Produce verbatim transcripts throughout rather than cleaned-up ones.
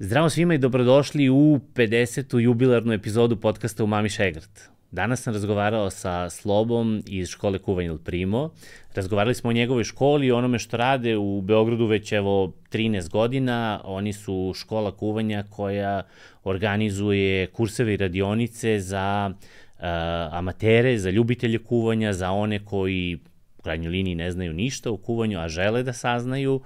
Zdravo svima i dobrodošli u pedesetu jubilarnu epizodu podcasta Umami Šegrt. Danas sam razgovarao sa Slobom iz škole kuvanja Il Primo. Razgovarali smo o njegovoj školi i onome što rade u Beogradu već evo trinaest godina. Oni su škola kuvanja koja organizuje kurseve i radionice za uh, amatere, za ljubitelje kuvanja, za one koji u krajnjoj liniji ne znaju ništa o kuvanju, a žele da saznaju. Uh,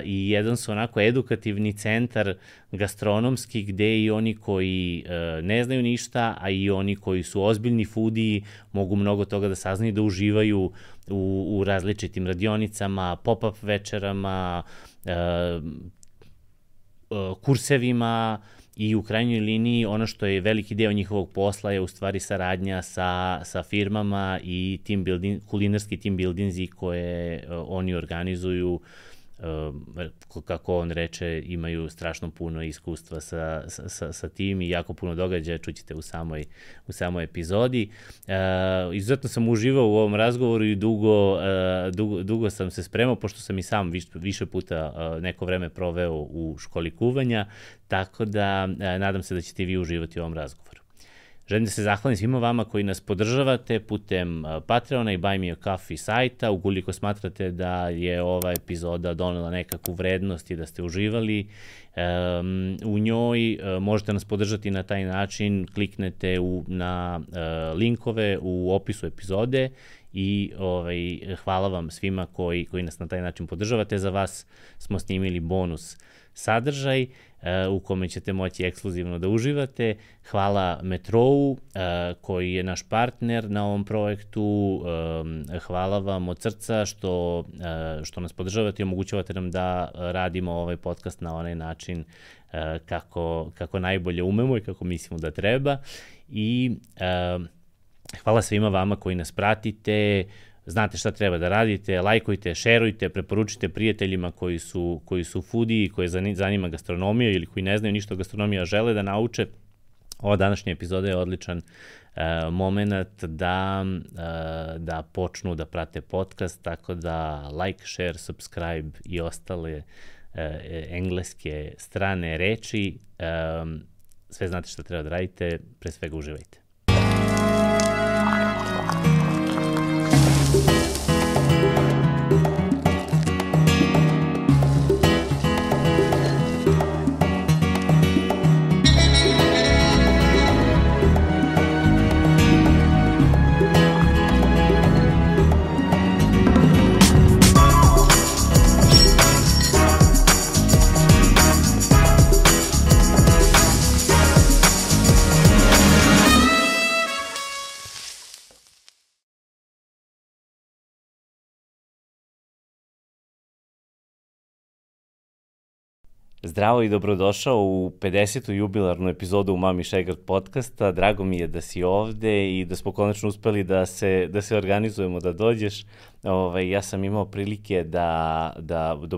i jedan su onako edukativni centar gastronomski gde i oni koji uh, ne znaju ništa, a i oni koji su ozbiljni foodiji mogu mnogo toga da saznaju, da uživaju u, u različitim radionicama, pop-up večerama, uh, uh, kursevima i u krajnjoj liniji ono što je veliki deo njihovog posla je u stvari saradnja sa, sa firmama i team building, kulinarski team buildingzi koje uh, oni organizuju. Uh, kako on reče, imaju strašno puno iskustva sa, sa, sa tim i jako puno događaja, čućete u samoj, u samoj epizodi. Uh, izuzetno sam uživao u ovom razgovoru i dugo, uh, dugo, dugo sam se spremao, pošto sam i sam viš, više puta uh, neko vreme proveo u školi kuvanja, tako da uh, nadam se da ćete vi uživati u ovom razgovoru. Želim da se zahvalim svima vama koji nas podržavate putem Patreona i Buy Me a Coffee sajta. Ukoliko smatrate da je ova epizoda donela nekakvu vrednost i da ste uživali um, u njoj, uh, možete nas podržati na taj način. Kliknete u, na uh, linkove u opisu epizode i ovaj, hvala vam svima koji, koji nas na taj način podržavate. Za vas smo snimili bonus sadržaj uh, u kome ćete moći ekskluzivno da uživate. Hvala Metrou uh, koji je naš partner na ovom projektu. Um, hvala vam od srca što, uh, što nas podržavate i omogućavate nam da radimo ovaj podcast na onaj način uh, kako, kako najbolje umemo i kako mislimo da treba. I uh, hvala svima vama koji nas pratite. Znate šta treba da radite, lajkujte, šerujte, preporučite prijateljima koji su, koji su foodiji, koje zanima gastronomija ili koji ne znaju ništa o gastronomiji, a žele da nauče. Ova današnja epizoda je odličan uh, moment da, uh, da počnu da prate podcast, tako da like, share, subscribe i ostale uh, engleske strane reči. Um, sve znate šta treba da radite, pre svega uživajte. Zdravo i dobrodošao u pedesetu jubilarnu epizodu Umami Šegrt podcasta. Drago mi je da si ovde i da smo konačno uspeli da se, da se organizujemo, da dođeš. Ovaj, ja sam imao prilike da, da, da,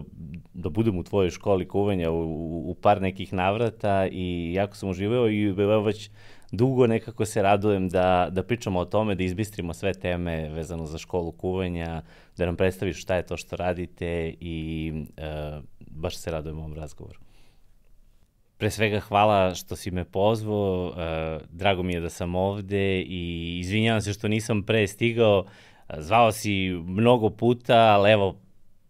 da budem u tvojoj školi kuvanja u, u par nekih navrata i jako sam uživao i evo već dugo nekako se radujem da, da pričamo o tome, da izbistrimo sve teme vezano za školu kuvanja, da nam predstaviš šta je to što radite i uh, baš se radujem ovom razgovoru. Pre svega hvala što si me pozvao, uh, drago mi je da sam ovde i izvinjavam se što nisam pre stigao, zvao si mnogo puta, ali evo,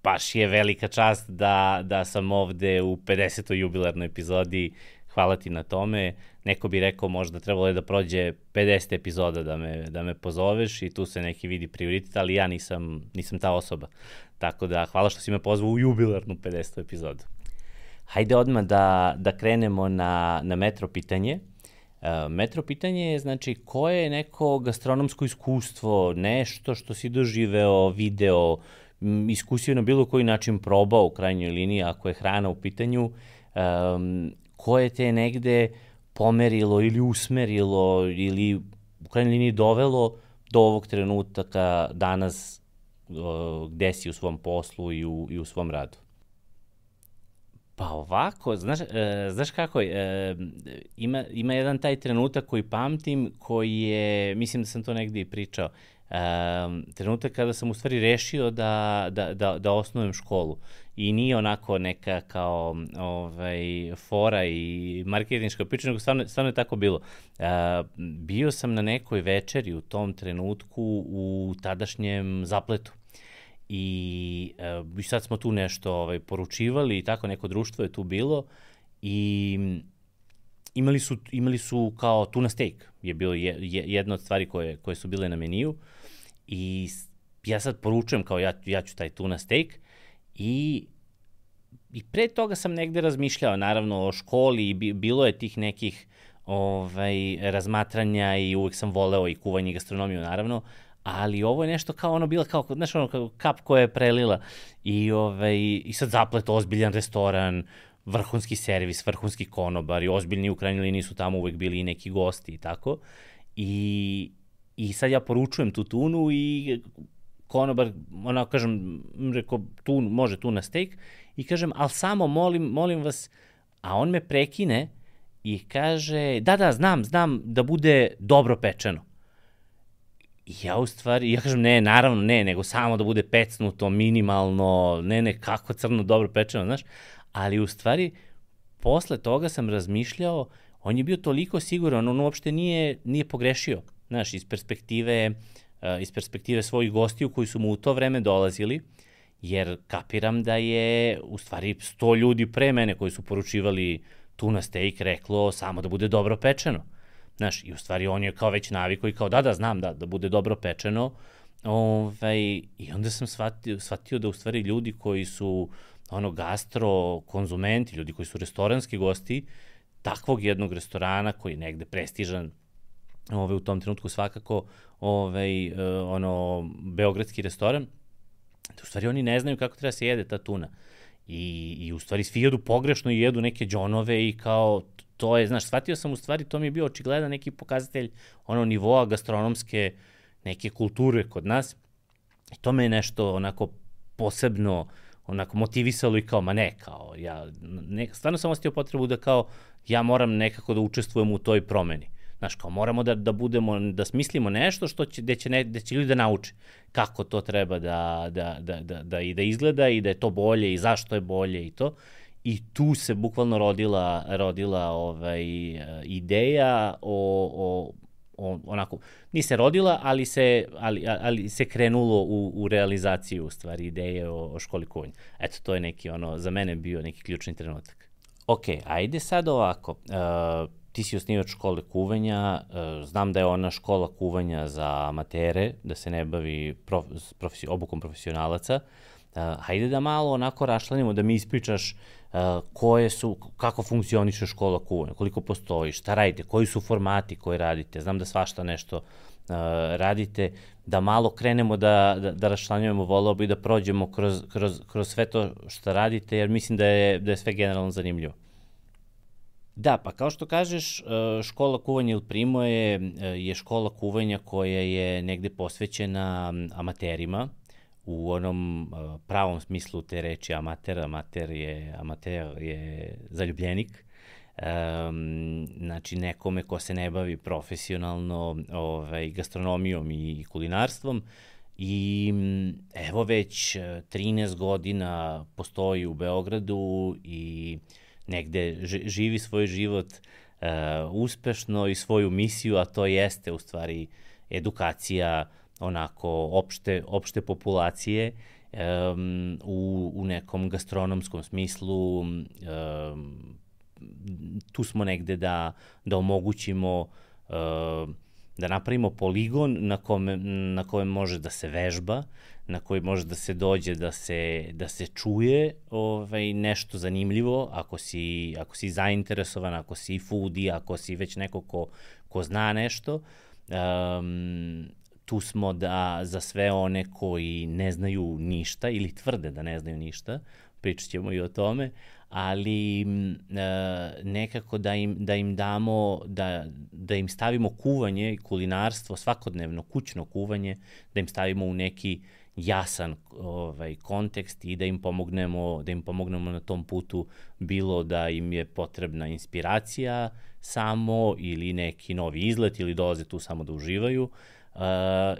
baš je velika čast da, da sam ovde u pedesetoj jubilarnoj epizodi. Hvala ti na tome. Neko bi rekao možda trebalo je da prođe pedeset epizoda da me, da me pozoveš i tu se neki vidi prioritet, ali ja nisam, nisam ta osoba. Tako da hvala što si me pozvao u jubilarnu pedesetu epizodu. Hajde odmah da, da krenemo na, na metro pitanje. Uh, metro pitanje je znači koje je neko gastronomsko iskustvo, nešto što si doživeo, video, iskusio na bilo koji način probao u krajnjoj liniji ako je hrana u pitanju, um, koje te negde pomerilo ili usmerilo ili u krajnjoj liniji dovelo do ovog trenutka danas uh, gde si u svom poslu i u, i u svom radu? Pa ovako, znaš, e, znaš kako, e, ima, ima jedan taj trenutak koji pamtim, koji je, mislim da sam to negdje i pričao, e, trenutak kada sam u stvari rešio da, da, da, da osnujem školu. i nije onako neka kao ovaj, fora i marketinška priča, nego stvarno, stvarno je tako bilo. Uh, bio sam na nekoj večeri u tom trenutku u tadašnjem Zapletu. I uh, sad smo tu nešto ovaj, poručivali i tako neko društvo je tu bilo i imali su, imali su kao tuna steak, je bilo je, je, jedna od stvari koje, koje su bile na meniju i ja sad poručujem kao ja, ja ću taj tuna steak i, i pre toga sam negde razmišljao naravno o školi i bilo je tih nekih ovaj, razmatranja i uvek sam voleo i kuvanje i gastronomiju naravno, ali ovo je nešto kao ono bila kao, znaš ono kao kap koja je prelila i, ovaj, i sad Zaplet, ozbiljan restoran, vrhunski servis, vrhunski konobar i ozbiljni u krajnjoj liniji su tamo uvek bili i neki gosti i tako. I, i sad ja poručujem tu tunu i konobar, onako kažem, rekao, tu, može tuna steak i kažem, ali samo molim, molim vas, a on me prekine i kaže, da, da, znam, znam da bude dobro pečeno. I ja u stvari, ja kažem, ne, naravno ne, nego samo da bude pecnuto, minimalno, ne, ne, kako crno dobro pečeno, znaš, ali u stvari, posle toga sam razmišljao, on je bio toliko siguran, on uopšte nije, nije pogrešio, znaš, iz perspektive, uh, iz perspektive svojih gostiju koji su mu u to vreme dolazili, jer kapiram da je, u stvari, sto ljudi pre mene koji su poručivali tuna steak reklo samo da bude dobro pečeno. Znaš, i u stvari on je kao već naviko i kao da, da, znam da, da bude dobro pečeno. Ovaj, I onda sam shvatio, shvatio da u stvari ljudi koji su ono gastro konzumenti, ljudi koji su restoranski gosti, takvog jednog restorana koji je negde prestižan, ovaj, u tom trenutku svakako, ovaj, ono, beogradski restoran, da u stvari oni ne znaju kako treba se jede ta tuna. I, i u stvari svi jedu pogrešno i jedu neke džonove i kao, to je, znaš, shvatio sam u stvari, to mi je bio očigledan neki pokazatelj ono nivoa gastronomske neke kulture kod nas. I to me je nešto onako posebno onako motivisalo i kao, ma ne, kao, ja, ne, stvarno sam ostio potrebu da kao, ja moram nekako da učestvujem u toj promeni. Znaš, kao, moramo da, da budemo, da smislimo nešto što će, gde će, ne, gde će ljudi da nauče kako to treba da, da, da, da, da, i da izgleda i da je to bolje i zašto je bolje i to. I tu se bukvalno rodila, rodila ovaj, ideja o, o, o, onako, nije se rodila, ali se, ali, ali se krenulo u, u realizaciju, u stvari, ideje o, o školi kuvanja. Eto, to je neki, ono, za mene bio neki ključni trenutak. Ok, ajde sad ovako, uh, ti si osnivač škole kuvanja, uh, znam da je ona škola kuvanja za amatere, da se ne bavi prof, profesi, obukom profesionalaca. Uh, hajde da malo onako rašlanimo, da mi ispričaš uh, koje su, kako funkcioniše škola kuvanja, koliko postoji, šta radite, koji su formati koje radite, znam da svašta nešto uh, radite, da malo krenemo da, da, da rašlanjujemo, voleo bi da prođemo kroz, kroz, kroz sve to što radite, jer mislim da je, da je sve generalno zanimljivo. Da, pa kao što kažeš, škola kuvanja Il Primo je, je škola kuvanja koja je negde posvećena amaterima, u onom pravom smislu te reči amater, amater je, amater je zaljubljenik, um, znači nekome ko se ne bavi profesionalno ovaj, gastronomijom i kulinarstvom i evo već trinaest godina postoji u Beogradu i negde živi svoj život uh, uspešno i svoju misiju, a to jeste u stvari edukacija onako opšte, opšte populacije um, u, u nekom gastronomskom smislu. Um, tu smo negde da, da omogućimo, uh, da napravimo poligon na kome, na kojem može da se vežba, na koji može da se dođe, da se, da se čuje ovaj, nešto zanimljivo, ako si, ako si zainteresovan, ako si foodie, ako si već neko ko, ko zna nešto. Um, tu smo da za sve one koji ne znaju ništa ili tvrde da ne znaju ništa, pričat ćemo i o tome, ali uh, nekako da im, da im damo, da, da im stavimo kuvanje i kulinarstvo, svakodnevno kućno kuvanje, da im stavimo u neki jasan ovaj, kontekst i da im pomognemo, da im pomognemo na tom putu, bilo da im je potrebna inspiracija samo ili neki novi izlet ili dolaze tu samo da uživaju, uh,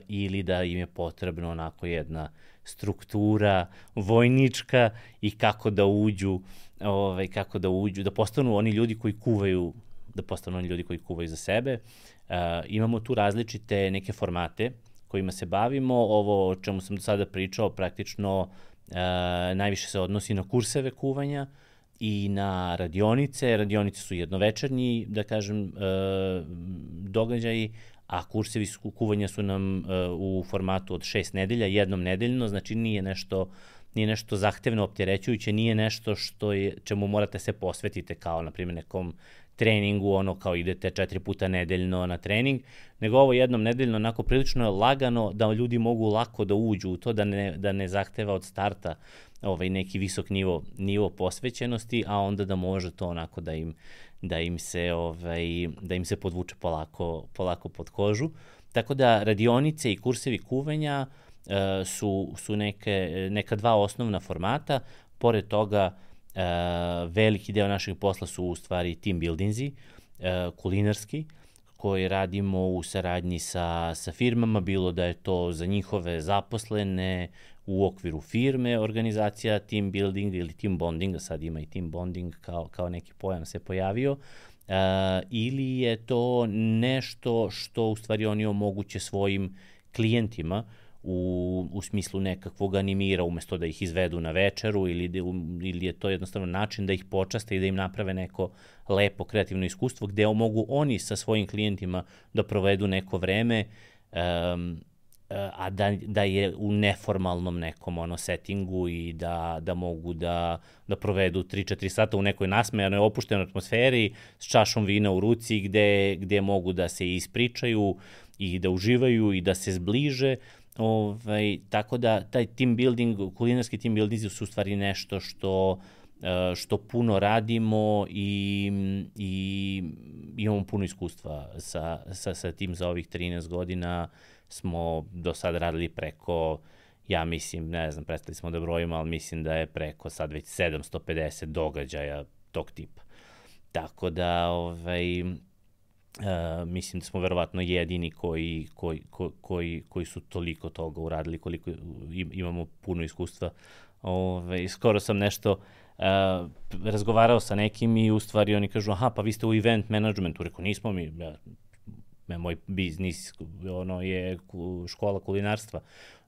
ili da im je potrebno onako jedna, struktura vojnička i kako da uđu, ovaj, kako da uđu, da postanu oni ljudi koji kuvaju, da postanu oni ljudi koji kuvaju za sebe. Uh, imamo tu različite neke formate kojima se bavimo. Ovo o čemu sam do sada pričao praktično uh, najviše se odnosi na kurseve kuvanja i na radionice. Radionice su jednovečernji, da kažem, uh, događaji, a kursevi kuvanja su nam uh, u formatu od šest nedelja, jednom nedeljno, znači nije nešto, nije nešto zahtevno opterećujuće, nije nešto što je, čemu morate se posvetite kao, na primjer, nekom treningu, ono kao idete četiri puta nedeljno na trening, nego ovo jednom nedeljno onako prilično lagano da ljudi mogu lako da uđu u to, da ne, da ne zahteva od starta ovaj, neki visok nivo, nivo posvećenosti, a onda da može to onako da im, da im se, ovaj, da im se podvuče polako, polako pod kožu. Tako da radionice i kursevi kuvanja uh, su, su neke, neka dva osnovna formata. Pored toga, Uh, veliki deo našeg posla su u stvari team buildingzi, uh, kulinarski, koji radimo u saradnji sa, sa firmama, bilo da je to za njihove zaposlene u okviru firme, organizacija team building ili team bonding, sad ima i team bonding kao, kao neki pojam se pojavio, uh, ili je to nešto što u stvari oni omoguće svojim klijentima u, u smislu nekakvog animira umesto da ih izvedu na večeru ili, ili je to jednostavno način da ih počaste i da im naprave neko lepo kreativno iskustvo gde mogu oni sa svojim klijentima da provedu neko vreme um, a da, da je u neformalnom nekom ono settingu i da, da mogu da, da provedu tri četiri sata u nekoj nasmejanoj, opuštenoj atmosferi s čašom vina u ruci gde, gde mogu da se ispričaju i da uživaju i da se zbliže. Ovaj, tako da taj team building, kulinarski team building su u stvari nešto što, što puno radimo i, i imamo puno iskustva sa, sa, sa tim. Za ovih trinaest godina smo do sada radili preko, ja mislim, ne znam, prestali smo da brojimo, ali mislim da je preko sad već sedamsto pedeset događaja tog tipa. Tako da, ovaj, Uh, mislim da smo verovatno jedini koji, koji, koji, koji su toliko toga uradili, koliko imamo puno iskustva. Ove, skoro sam nešto uh, razgovarao sa nekim i u stvari oni kažu, aha, pa vi ste u event managementu. Rekao, nismo mi, ja, moj biznis ono, je škola kulinarstva.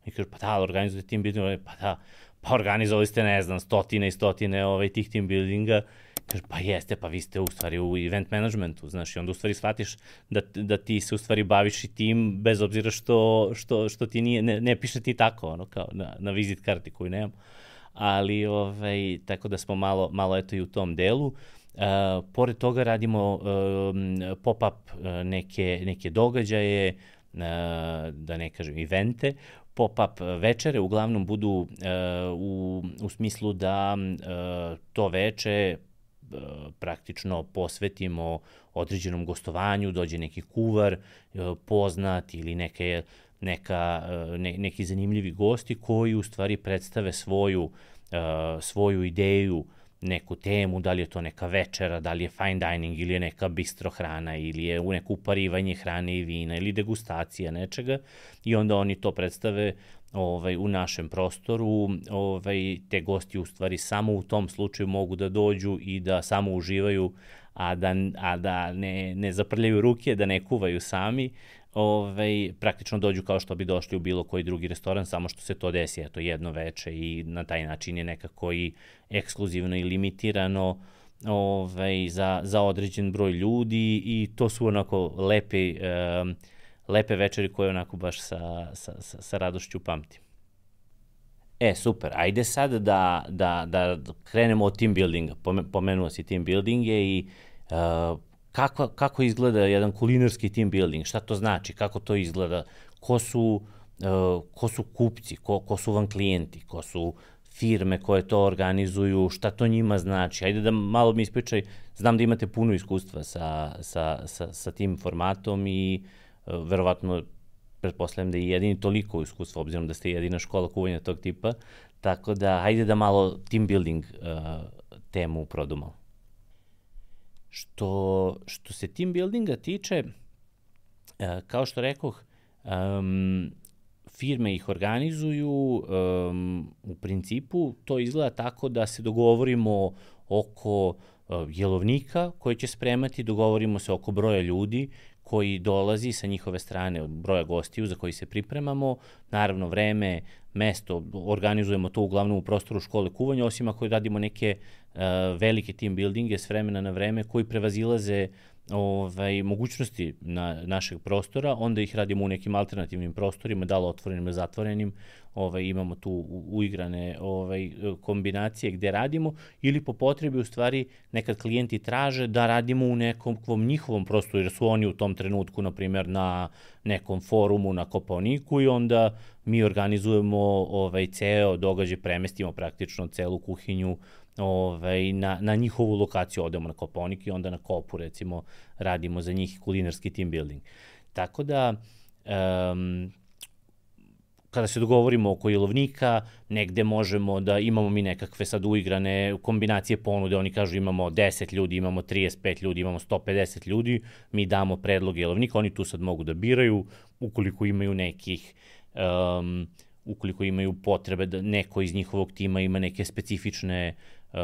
I kažu, pa da, organizujete team building, pa da, pa organizovali ste, ne znam, stotine i stotine ovaj, tih team buildinga. Kaže, pa jeste, pa vi ste u stvari u event managementu, znaš, i onda u stvari shvatiš da, da ti se u stvari baviš i tim, bez obzira što, što, što ti nije, ne, ne piše ti tako, ono, kao na, na vizit karti koju nemam, ali, ovaj, tako da smo malo, malo eto i u tom delu. Uh, pored toga radimo uh, pop-up uh, neke, neke događaje, uh, da ne kažem evente, pop-up večere uglavnom budu uh, u, u smislu da uh, to veče praktično posvetimo određenom gostovanju, dođe neki kuvar poznat ili neke, neka, ne, neki zanimljivi gosti koji u stvari predstave svoju, svoju ideju, neku temu, da li je to neka večera, da li je fine dining ili je neka bistro hrana ili je u neko uparivanje hrane i vina ili degustacija nečega i onda oni to predstave ovaj, u našem prostoru. Ovaj, te gosti u stvari samo u tom slučaju mogu da dođu i da samo uživaju, a da, a da ne, ne zaprljaju ruke, da ne kuvaju sami. Ovaj, praktično dođu kao što bi došli u bilo koji drugi restoran, samo što se to desi eto, jedno veče i na taj način je nekako i ekskluzivno i limitirano ovaj, za, za određen broj ljudi i to su onako lepe, um, lepe večeri koje onako baš sa, sa, sa, sa radošću pamtim. E, super, ajde sad da, da, da krenemo od team buildinga. Pomenuo si team buildinge i uh, Kako, kako izgleda jedan kulinarski team building, šta to znači, kako to izgleda, ko su, uh, ko su kupci, ko, ko su vam klijenti, ko su firme koje to organizuju, šta to njima znači. Ajde da malo mi ispričaj, znam da imate puno iskustva sa, sa, sa, sa tim formatom i uh, verovatno pretpostavljam da je jedini toliko iskustva, obzirom da ste jedina škola kuvanja tog tipa, tako da ajde da malo team building uh, temu produmamo. Što, što se team buildinga tiče, kao što rekoh, um, firme ih organizuju, um, u principu to izgleda tako da se dogovorimo oko uh, jelovnika koji će spremati, dogovorimo se oko broja ljudi koji dolazi sa njihove strane, od broja gostiju za koji se pripremamo, naravno vreme, mesto, organizujemo to uglavnom u prostoru škole kuvanja, osim ako radimo neke uh, velike team buildinge s vremena na vreme koji prevazilaze ovaj, mogućnosti na našeg prostora, onda ih radimo u nekim alternativnim prostorima, da li otvorenim ili zatvorenim, ovaj, imamo tu uigrane ovaj, kombinacije gde radimo, ili po potrebi u stvari nekad klijenti traže da radimo u nekom njihovom prostoru, jer su oni u tom trenutku, na primjer, na nekom forumu na Kopaoniku i onda mi organizujemo ovaj, ceo događaj, premestimo praktično celu kuhinju ovaj, na, na njihovu lokaciju, odemo na Kopaonik i onda na Kopu, recimo, radimo za njih kulinarski team building. Tako da, um, kada se dogovorimo oko jelovnika, negde možemo da imamo mi nekakve sad uigrane kombinacije ponude, oni kažu imamo deset ljudi, imamo trideset pet ljudi, imamo sto pedeset ljudi, mi damo predlog jelovnika, oni tu sad mogu da biraju, ukoliko imaju nekih um, ukoliko imaju potrebe da neko iz njihovog tima ima neke specifične uh,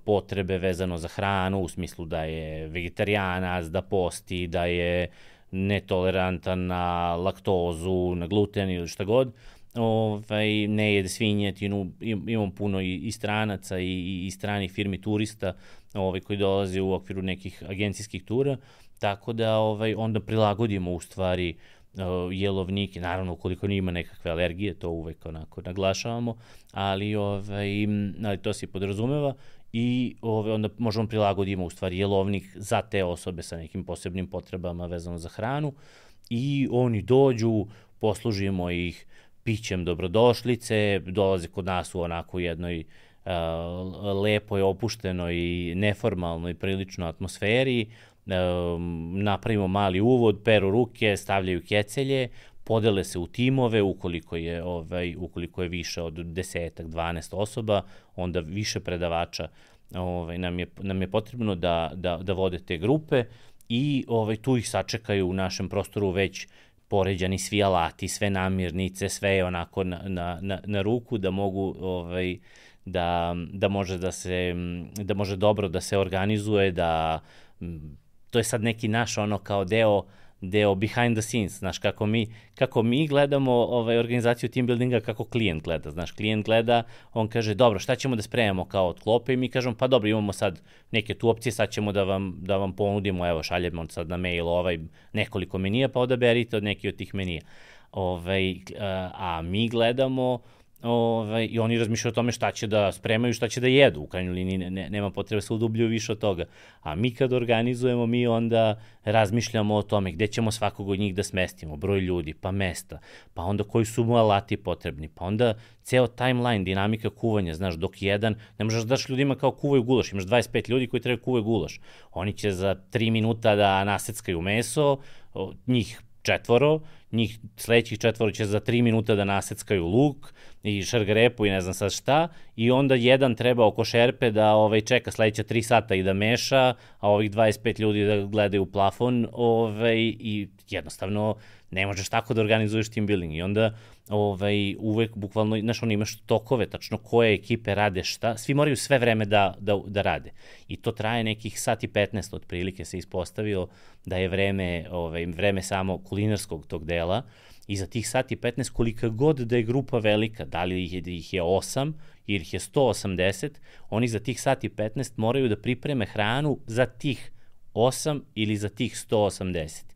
potrebe vezano za hranu, u smislu da je vegetarijanac, da posti, da je netolerantan na laktozu, na gluten ili šta god, ovaj, ne jede svinjetinu, imam puno i, i stranaca i, i stranih firmi turista ovaj, koji dolaze u okviru nekih agencijskih tura, tako da ovaj, onda prilagodimo u stvari jelovnike, naravno ukoliko nima nekakve alergije, to uvek onako naglašavamo, ali, ovaj, ali to se podrazumeva i ovaj, onda možemo prilagodimo u stvari jelovnik za te osobe sa nekim posebnim potrebama vezano za hranu i oni dođu, poslužimo ih pićem dobrodošlice, dolaze kod nas u onako jednoj uh, lepoj, opuštenoj i neformalnoj prilično atmosferi, napravimo mali uvod, peru ruke, stavljaju kecelje, podele se u timove, ukoliko je, ovaj, ukoliko je više od desetak, dvanaest osoba, onda više predavača ovaj, nam, je, nam je potrebno da, da, da vode te grupe i ovaj, tu ih sačekaju u našem prostoru već poređani svi alati, sve namirnice, sve je onako na, na, na, na ruku da mogu ovaj, da, da može da se, da može dobro da se organizuje, da to je sad neki naš ono kao deo, deo behind the scenes, znaš, kako mi, kako mi gledamo ovaj, organizaciju team buildinga, kako klijent gleda, znaš, klijent gleda, on kaže, dobro, šta ćemo da spremamo kao od klope i mi kažemo, pa dobro, imamo sad neke tu opcije, sad ćemo da vam, da vam ponudimo, evo, šaljemo sad na mail ovaj, nekoliko menija, pa odaberite od neki od tih menija. Ovaj, a mi gledamo, Ove, i oni razmišljaju o tome šta će da spremaju, šta će da jedu, u krajnjoj liniji ne, ne, nema potrebe se udubljuju više od toga. A mi kad organizujemo, mi onda razmišljamo o tome gde ćemo svakog od njih da smestimo, broj ljudi, pa mesta, pa onda koji su mu alati potrebni, pa onda ceo timeline, dinamika kuvanja, znaš, dok jedan, ne možeš da daš ljudima kao kuvaju gulaš, imaš dvadeset pet ljudi koji trebaju kuvaju gulaš, oni će za tri minuta da naseckaju meso, njih četvoro, njih sledećih četvoro će za tri minuta da naseckaju luk i šargarepu i ne znam sad šta, i onda jedan treba oko šerpe da ovaj, čeka sledeća tri sata i da meša, a ovih dvadeset pet ljudi da gledaju u plafon, ovaj, i jednostavno ne možeš tako da organizuješ team building. I onda ovaj, uvek bukvalno, znaš, ono, imaš tokove, tačno koje ekipe rade šta, svi moraju sve vreme da, da, da rade. I to traje nekih sat i petnaest otprilike, se ispostavilo da je vreme, ovaj, vreme samo kulinarskog tog dela, i za tih sat i petnaest, kolika god da je grupa velika, da li ih je, ih je osam ili ih je sto osamdeset, oni za tih sat i petnaest moraju da pripreme hranu za tih osam ili za tih sto osamdeset.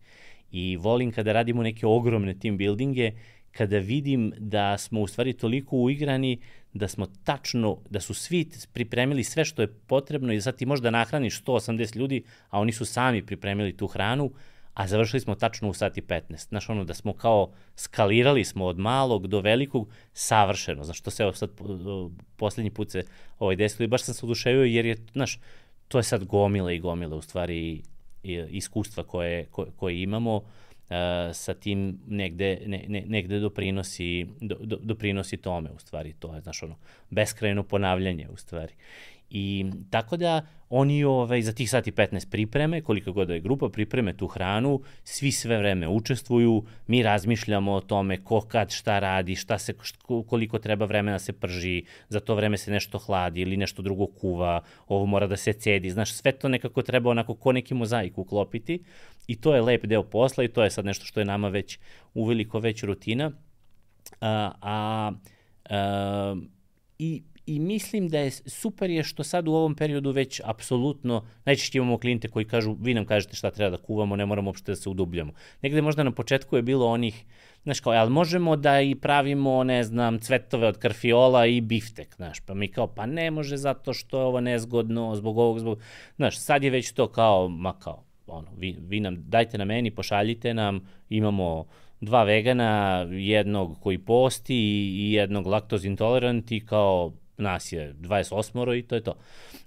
I volim kada radimo neke ogromne team buildinge, kada vidim da smo u stvari toliko uigrani, da smo tačno, da su svi pripremili sve što je potrebno i sad ti možda nahraniš sto osamdeset ljudi, a oni su sami pripremili tu hranu, a završili smo tačno u sat i petnaest. Znaš, ono, da smo kao skalirali smo od malog do velikog savršeno. Znaš, to se evo sad poslednji put se ovaj desilo i baš sam se oduševio jer je, znaš, to je sad gomila i gomila u stvari iskustva koje, koje, koje imamo uh, sa tim negde, ne, ne, negde doprinosi, do, do, doprinosi tome u stvari. To je, znaš, ono, beskrajno ponavljanje u stvari. I tako da oni ovaj, za tih sati petnaest pripreme, koliko god da je grupa, pripreme tu hranu, svi sve vreme učestvuju, mi razmišljamo o tome ko kad šta radi, šta se, koliko treba vremena se prži, za to vreme se nešto hladi ili nešto drugo kuva, ovo mora da se cedi, znaš, sve to nekako treba onako ko neki mozaik uklopiti i to je lep deo posla i to je sad nešto što je nama već uveliko već rutina. A, a, a i I mislim da je super je što sad u ovom periodu već apsolutno, najčešće imamo klijente koji kažu, vi nam kažete šta treba da kuvamo, ne moramo uopšte da se udubljamo. Negde možda na početku je bilo onih, znaš kao, ali možemo da i pravimo, ne znam, cvetove od karfiola i biftek, znaš, pa mi kao, pa ne može zato što je ovo nezgodno, zbog ovog, zbog, znaš, sad je već to kao, ma kao, ono, vi, vi nam, dajte na meni, pošaljite nam, imamo dva vegana, jednog koji posti i jednog laktoz intolerant i kao, nas je dvadeset osam i to je to.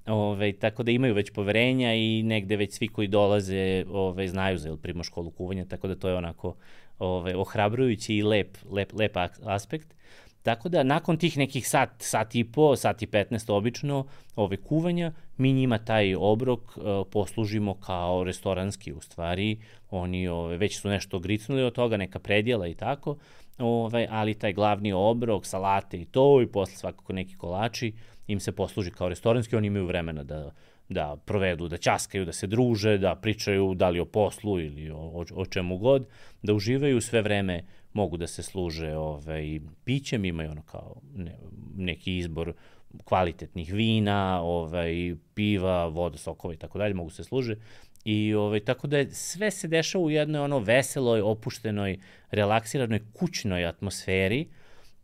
Ove, tako da imaju već poverenja i negde već svi koji dolaze ove, znaju za Primo školu kuvanja, tako da to je onako ove, ohrabrujući i lep, lep, lep aspekt. Tako da nakon tih nekih sat, sat i po, sat i petnaest obično ove kuvanja, mi njima taj obrok uh, poslužimo kao restoranski u stvari. Oni ove, već su nešto gricnuli od toga, neka predjela i tako, ove, ali taj glavni obrok, salate i to i posle svakako neki kolači im se posluži kao restoranski, oni imaju vremena da, da provedu, da ćaskaju, da se druže, da pričaju da li o poslu ili o, o, o čemu god, da uživaju sve vreme, mogu da se služe ovaj, pićem, imaju ono kao ne, neki izbor kvalitetnih vina, ovaj, piva, voda, sokova i tako dalje, mogu se služe. I ovaj, tako da je, sve se dešava u jednoj ono veseloj, opuštenoj, relaksiranoj, kućnoj atmosferi.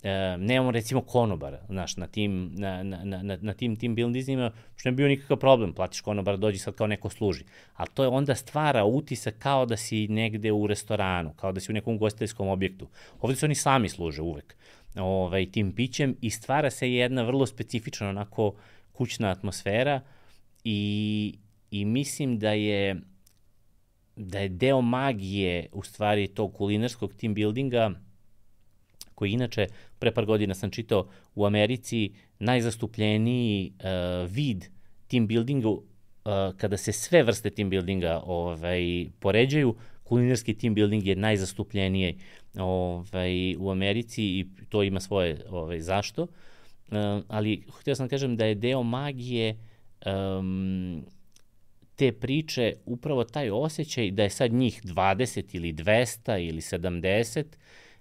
E, nemamo recimo konobara, znaš, na tim, na, na, na, na tim team buildingima, što ne bio nikakav problem, platiš konobara, dođi sad kao neko služi. Ali to je onda stvara utisak kao da si negde u restoranu, kao da si u nekom gostiteljskom objektu. Ovde se oni sami služe uvek ovaj, tim pićem i stvara se jedna vrlo specifična onako kućna atmosfera i, i mislim da je da je deo magije u stvari tog kulinarskog team buildinga koji inače, pre par godina sam čitao, u Americi najzastupljeniji uh, vid team buildingu, uh, kada se sve vrste team buildinga ovaj, poređaju, kulinarski team building je najzastupljeniji ovaj, u Americi i to ima svoje ovaj, zašto. Uh, ali htio sam da kažem da je deo magije um, te priče upravo taj osjećaj da je sad njih dvadeset ili dvesta ili sedamdeset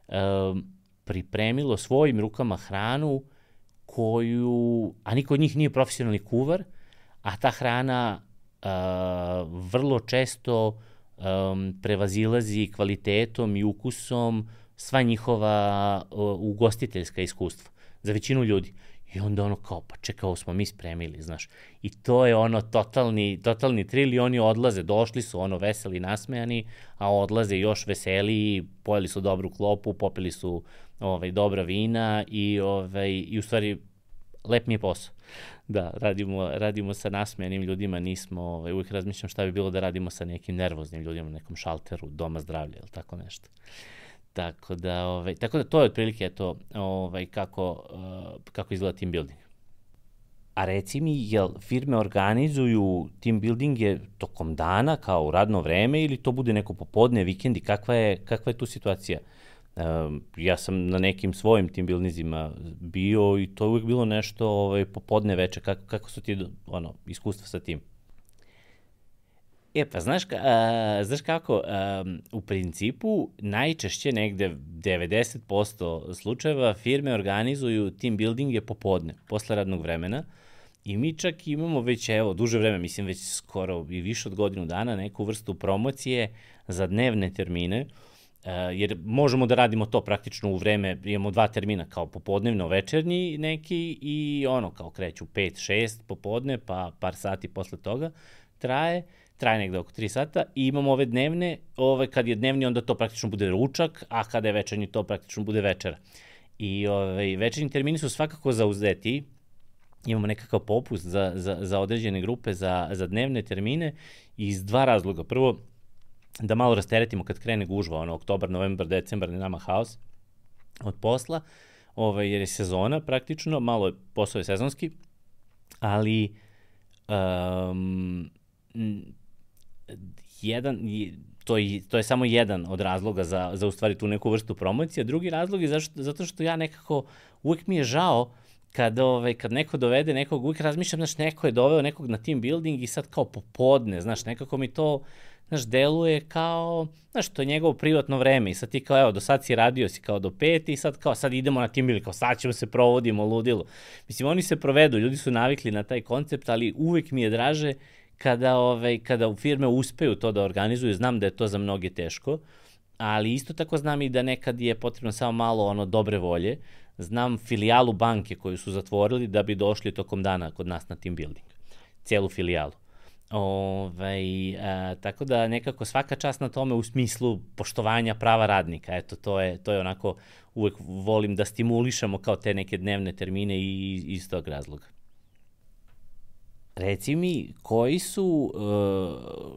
um, pripremilo svojim rukama hranu koju, a niko od njih nije profesionalni kuvar, a ta hrana uh, vrlo često um, prevazilazi kvalitetom i ukusom sva njihova uh, ugostiteljska iskustva za većinu ljudi. I onda ono kao, pa čekaj, ovo smo mi spremili, znaš. I to je ono totalni, totalni thrill i oni odlaze, došli su ono veseli, nasmejani, a odlaze još veseliji, pojeli su dobru klopu, popili su ovaj, dobra vina i, ovaj, i u stvari lep mi je posao. Da, radimo, radimo sa nasmejanim ljudima, nismo, ovaj, uvijek razmišljam šta bi bilo da radimo sa nekim nervoznim ljudima na nekom šalteru, doma zdravlja ili tako nešto. Tako da, ovaj, tako da to je otprilike to ovaj, kako, uh, kako izgleda team building. A reci mi, jel firme organizuju team buildinge tokom dana kao u radno vreme ili to bude neko popodne, vikendi, kakva je, kakva je tu situacija? Um, ja sam na nekim svojim team buildingima bio i to je uvijek bilo nešto ovaj, popodne veče, kako, kako su ti ono, iskustva sa tim? E pa, znaš, a, znaš kako, a, u principu najčešće negde devedeset posto slučajeva firme organizuju team buildinge popodne, posle radnog vremena i mi čak imamo već, evo, duže vreme, mislim već skoro i više od godinu dana, neku vrstu promocije za dnevne termine, a, jer možemo da radimo to praktično u vreme, imamo dva termina, kao popodnevno večernji neki i ono, kao kreću pet šest popodne, pa par sati posle toga traje, traje negde oko tri sata i imamo ove dnevne, ove, kad je dnevni onda to praktično bude ručak, a kada je večernji to praktično bude večera. I ove, večernji termini su svakako zauzeti, imamo nekakav popust za, za, za određene grupe, za, za dnevne termine iz dva razloga. Prvo, da malo rasteretimo kad krene gužva, ono, oktobar, novembar, decembar, ne nama haos od posla, ove, jer je sezona praktično, malo je posao je sezonski, ali Um, jedan, to je, to je samo jedan od razloga za, za u stvari tu neku vrstu promocije. Drugi razlog je zašto, zato što ja nekako, uvek mi je žao kad, ovaj, kad neko dovede nekog, uvijek razmišljam, znaš, neko je doveo nekog na team building i sad kao popodne, znaš, nekako mi to, znaš, deluje kao, znaš, to je njegovo privatno vreme i sad ti kao, evo, do sad si radio si kao do pet i sad kao, sad idemo na team building, kao sad ćemo se provodimo, ludilo. Mislim, oni se provedu, ljudi su navikli na taj koncept, ali uvijek mi je draže kada, ovaj, kada u firme uspeju to da organizuju, znam da je to za mnoge teško, ali isto tako znam i da nekad je potrebno samo malo ono dobre volje. Znam filijalu banke koju su zatvorili da bi došli tokom dana kod nas na team building. Cijelu filijalu. Ove, a, tako da nekako svaka čast na tome u smislu poštovanja prava radnika. Eto, to je, to je onako, uvek volim da stimulišemo kao te neke dnevne termine i iz tog razloga. Reci mi, koji su,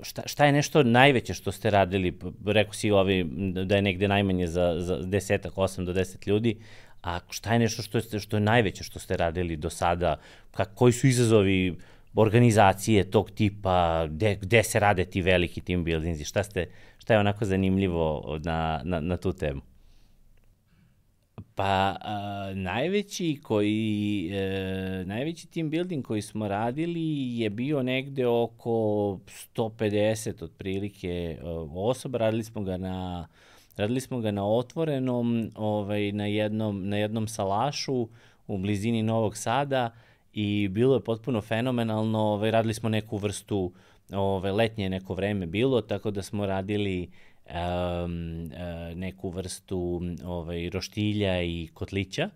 šta, šta je nešto najveće što ste radili, rekao si ovi, da je negde najmanje za, za desetak, osam do deset ljudi, a šta je nešto što je, što je najveće što ste radili do sada, Kak, koji su izazovi organizacije tog tipa, gde, gde se rade ti veliki team buildingsi, šta, ste, šta je onako zanimljivo na, na, na tu temu? Pa, a, najveći koji, e, najveći team building koji smo radili je bio negde oko sto pedeset otprilike osoba, radili smo ga na, radili smo ga na otvorenom, ovaj, na jednom, na jednom salašu u blizini Novog Sada i bilo je potpuno fenomenalno, ovaj, radili smo neku vrstu, ovaj, letnje neko vreme bilo, tako da smo radili Um, uh, neku vrstu ovaj, roštilja i kotlića.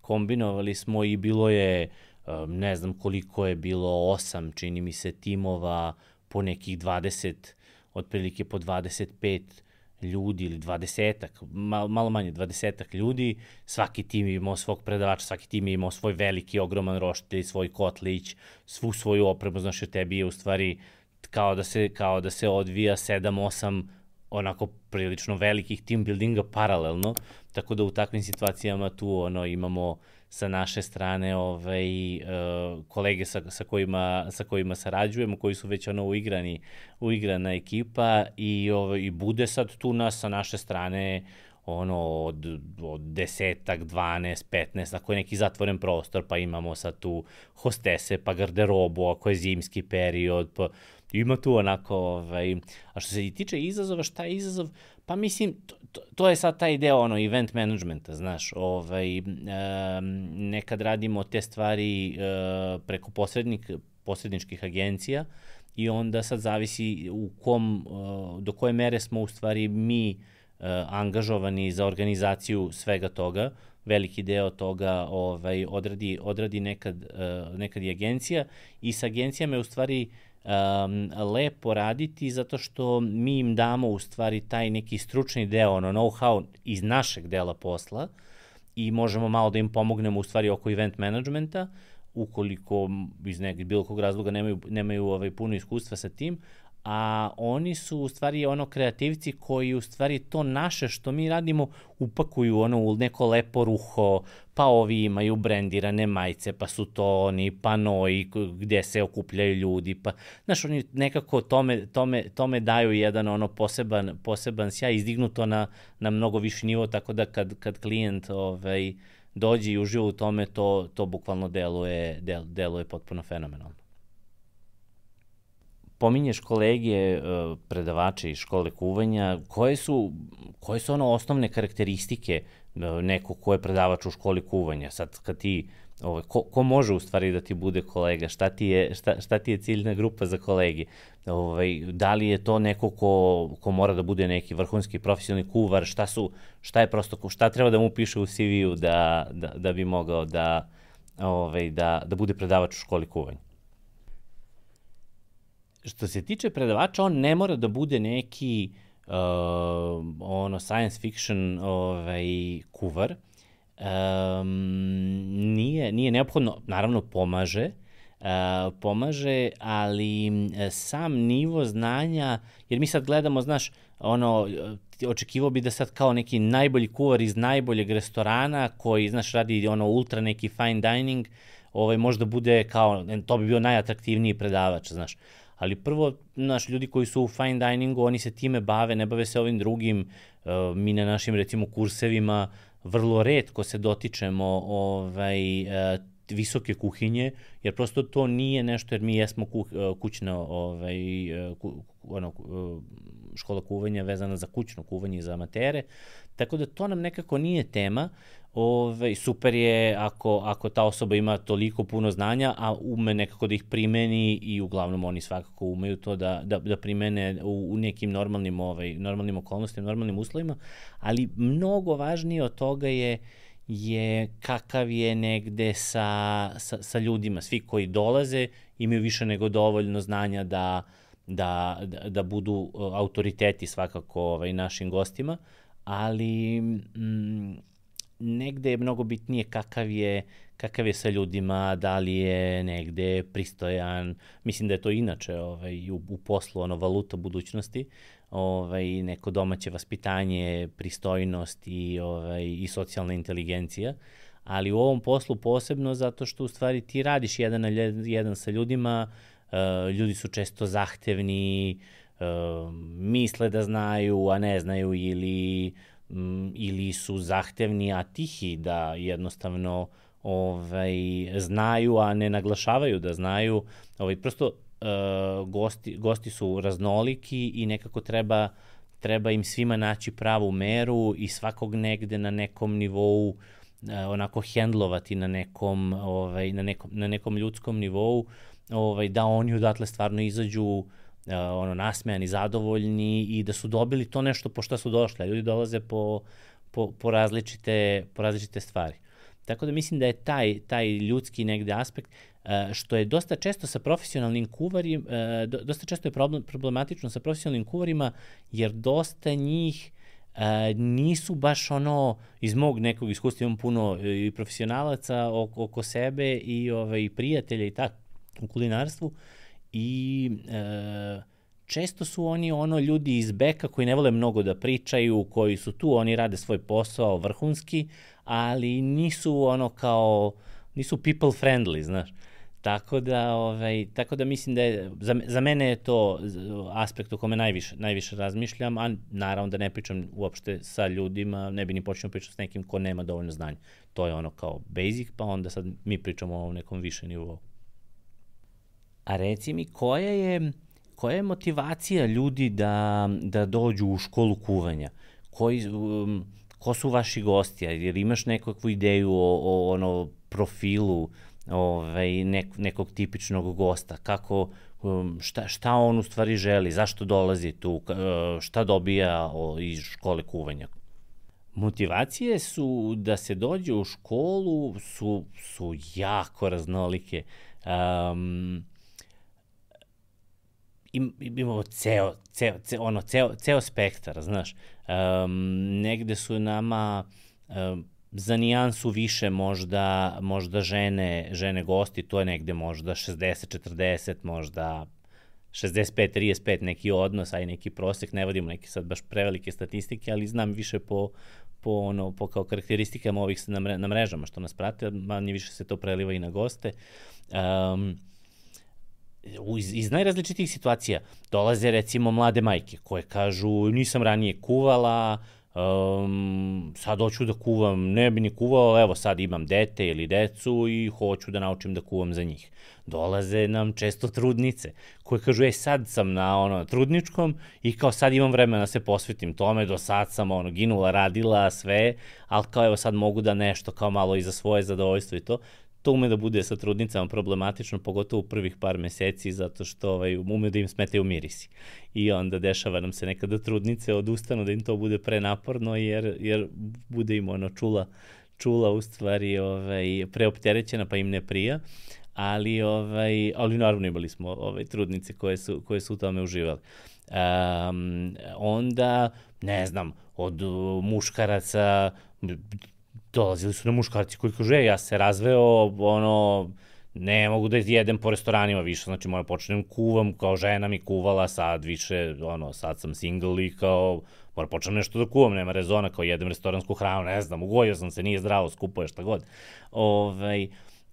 Kombinovali smo i bilo je, um, ne znam koliko je bilo, osam, čini mi se, timova po nekih dvadeset, otprilike po dvadeset pet ljudi ili dvadesetak, malo, malo manje, dvadesetak ljudi. Svaki tim je imao svog predavača, svaki tim je imao svoj veliki, ogroman roštilj, svoj kotlić, svu svoju opremu, znaš, jer tebi je u stvari kao da se, kao da se odvija sedam osam onako prilično velikih team buildinga paralelno, tako da u takvim situacijama tu ono imamo sa naše strane ovaj, uh, kolege sa, sa, kojima, sa kojima sarađujemo, koji su već ono uigrani, uigrana ekipa i, ovaj, i bude sad tu nas sa naše strane ono od, od desetak, dvanaest, petnaest, ako je neki zatvoren prostor, pa imamo sad tu hostese, pa garderobu, ako je zimski period, pa ima tu onako, ovaj, a što se tiče izazova, šta je izazov? Pa mislim, to, to, to je sad taj deo ono, event managementa, znaš, ovaj, um, nekad radimo te stvari uh, preko posrednik, posredničkih agencija i onda sad zavisi u kom, uh, do koje mere smo u stvari mi uh, angažovani za organizaciju svega toga. Veliki deo toga ovaj, odradi, odradi nekad, uh, nekad i agencija i sa agencijama je u stvari Um, lepo raditi zato što mi im damo u stvari taj neki stručni deo, ono know-how iz našeg dela posla i možemo malo da im pomognemo u stvari oko event managementa, ukoliko iz nekog bilo kog razloga nemaju, nemaju ovaj, puno iskustva sa tim, a oni su u stvari ono kreativci koji u stvari to naše što mi radimo upakuju ono u neko lepo ruho, pa ovi imaju brendirane majice, pa su to oni panoi gde se okupljaju ljudi, pa znaš, oni nekako tome, tome, tome daju jedan ono poseban, poseban sjaj, izdignu to na, na mnogo viši nivo, tako da kad, kad klijent ovaj, dođe i uživa u tome, to, to bukvalno deluje, del, deluje potpuno fenomenalno. Pominješ kolege, predavače iz škole kuvanja, koje su, koje su ono osnovne karakteristike nekog ko je predavač u školi kuvanja? Sad kad ti, ovaj, ko, ko može u stvari da ti bude kolega? Šta ti je, šta, šta ti je ciljna grupa za kolegi? Ovaj, da li je to neko ko, ko mora da bude neki vrhunski profesionalni kuvar? Šta su, šta je prosto, šta treba da mu piše u C V-u da, da, da bi mogao da, ovaj, da, da bude predavač u školi kuvanja? Što se tiče predavača, on ne mora da bude neki uh, ono science fiction ovaj, kuvar. Um, nije, nije neophodno, naravno pomaže, uh, pomaže, ali sam nivo znanja, jer mi sad gledamo, znaš, ono, očekivao bi da sad kao neki najbolji kuvar iz najboljeg restorana koji, znaš, radi ono ultra neki fine dining, ovaj, možda bude kao, to bi bio najatraktivniji predavač, znaš. Ali prvo, znaš, ljudi koji su u fine diningu, oni se time bave, ne bave se ovim drugim, uh, mi na našim, recimo, kursevima vrlo retko se dotičemo ovaj, uh, visoke kuhinje, jer prosto to nije nešto, jer mi jesmo ku, kućna ovaj, ku, ono, škola kuvanja vezana za kućno kuvanje i za amatere, tako da to nam nekako nije tema. Ove, super je ako, ako ta osoba ima toliko puno znanja, a ume nekako da ih primeni i uglavnom oni svakako umeju to da, da, da primene u, u nekim normalnim, ovaj, normalnim okolnostima, normalnim uslovima, ali mnogo važnije od toga je je kakav je negde sa, sa, sa ljudima. Svi koji dolaze imaju više nego dovoljno znanja da, da, da, da budu autoriteti svakako ovaj, našim gostima, ali m, negde je mnogo bitnije kakav je, kakav je sa ljudima, da li je negde pristojan. Mislim da je to inače ovaj, u, u poslu ono, valuta budućnosti, ovaj, neko domaće vaspitanje, pristojnost i, ovaj, i socijalna inteligencija, ali u ovom poslu posebno zato što u stvari ti radiš jedan na jedan sa ljudima, uh, ljudi su često zahtevni, uh, misle da znaju, a ne znaju, ili, um, ili su zahtevni, a tihi, da jednostavno ovaj, znaju, a ne naglašavaju da znaju. Ovaj, prosto Uh, gosti, gosti su raznoliki i nekako treba, treba im svima naći pravu meru i svakog negde na nekom nivou uh, onako hendlovati na nekom, ovaj, na nekom, na nekom ljudskom nivou, ovaj, da oni odatle stvarno izađu uh, ono, nasmejani, zadovoljni i da su dobili to nešto po šta su došli. Ljudi dolaze po, po, po, različite, po različite stvari. Tako da mislim da je taj, taj ljudski negde aspekt, što je dosta često sa profesionalnim kuvarima, dosta često je problem, problematično sa profesionalnim kuvarima, jer dosta njih nisu baš ono, iz mog nekog iskustva imam puno i profesionalaca oko, oko sebe i ovaj, prijatelja i tako u kulinarstvu i e, često su oni ono ljudi iz beka koji ne vole mnogo da pričaju, koji su tu, oni rade svoj posao vrhunski, ali nisu ono kao, nisu people friendly, znaš. Tako da, ovaj, tako da mislim da je, za, za mene je to aspekt o kome najviše, najviše razmišljam, a naravno da ne pričam uopšte sa ljudima, ne bi ni počeo pričati s nekim ko nema dovoljno znanja. To je ono kao basic, pa onda sad mi pričamo o nekom više nivou. A reci mi, koja je, koja je motivacija ljudi da, da dođu u školu kuvanja? Koji, um, ko su vaši gosti? Jer imaš nekakvu ideju o, o ono profilu ovaj, nek, nekog tipičnog gosta, kako, šta, šta on u stvari želi, zašto dolazi tu, šta dobija iz škole kuvanja. Motivacije su da se dođe u školu su, su jako raznolike. Um, im, imamo ceo, ceo, ceo, ono, ceo, ceo spektar, znaš. Um, negde su nama um, za nijansu više možda, možda žene, žene gosti, to je negde možda šezdeset četrdeset, možda šezdeset pet trideset pet neki odnos, a i neki prosek, ne vodimo neke sad baš prevelike statistike, ali znam više po, po, ono, po kao karakteristikama ovih na, mre, na mrežama što nas prate, manje više se to preliva i na goste. Um, iz, iz najrazličitih situacija dolaze recimo mlade majke koje kažu nisam ranije kuvala, Um, sad hoću da kuvam, ne bi ni kuvao, evo sad imam dete ili decu i hoću da naučim da kuvam za njih. Dolaze nam često trudnice koje kažu, ej sad sam na ono trudničkom i kao sad imam vremena da se posvetim tome, do sad sam ono ginula, radila sve, ali kao evo sad mogu da nešto kao malo i za svoje zadovoljstvo i to. To ume da bude sa trudnicama problematično, pogotovo u prvih par meseci, zato što ovaj, ume da im smetaju mirisi. I onda dešava nam se nekada trudnice odustanu da im to bude prenaporno, jer, jer bude im ono čula, čula u stvari ovaj, preopterećena pa im ne prija. Ali, ovaj, ali naravno imali smo ovaj, trudnice koje su, koje su u tome uživali. Um, onda, ne znam, od muškaraca dolazili su na muškarci koji kažu, e, ja se razveo, ono, ne mogu da jedem po restoranima više, znači moram počnem kuvam, kao žena mi kuvala, sad više, ono, sad sam single i kao, moram počnem nešto da kuvam, nema rezona, kao jedem restoransku hranu, ne znam, ugojio sam se, nije zdravo, skupo je šta god. Ovaj,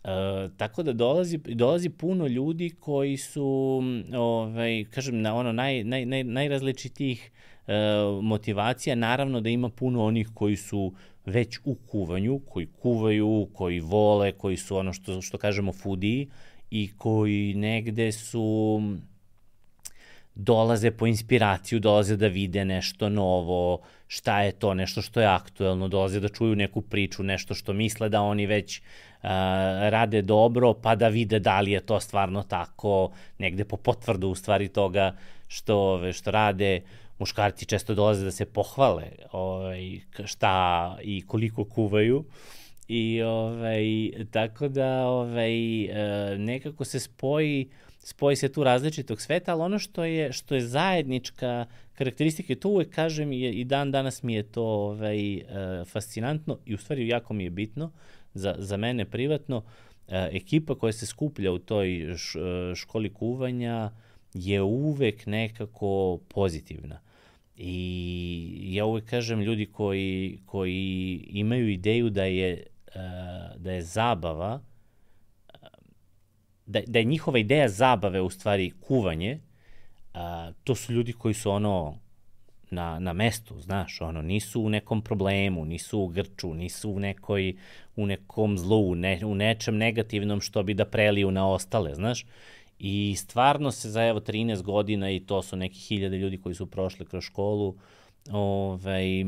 Uh, tako da dolazi, dolazi puno ljudi koji su, ovaj, kažem, na ono naj, naj, naj, najrazličitijih uh, motivacija. Naravno da ima puno onih koji su već u kuvanju, koji kuvaju, koji vole, koji su ono što, što kažemo foodiji i koji negde su dolaze po inspiraciju, dolaze da vide nešto novo, šta je to, nešto što je aktuelno, dolaze da čuju neku priču, nešto što misle da oni već uh, rade dobro, pa da vide da li je to stvarno tako, negde po potvrdu u stvari toga što, što rade. Muškarci često dolaze da se pohvale ovaj, šta i koliko kuvaju. I ovaj, tako da ovaj, nekako se spoji spoji se tu različitog sveta, ali ono što je, što je zajednička karakteristika, i to uvek kažem i, i dan danas mi je to ovaj, fascinantno i u stvari jako mi je bitno za, za mene privatno, ekipa koja se skuplja u toj školi kuvanja je uvek nekako pozitivna. I ja uvek kažem, ljudi koji, koji imaju ideju da je, da je zabava, da, da je njihova ideja zabave u stvari kuvanje, a, to su ljudi koji su ono na, na mestu, znaš, ono, nisu u nekom problemu, nisu u grču, nisu u nekoj, u nekom zlu, ne, u nečem negativnom što bi da preliju na ostale, znaš. I stvarno se za evo trinaest godina, i to su neki hiljade ljudi koji su prošli kroz školu, ovaj,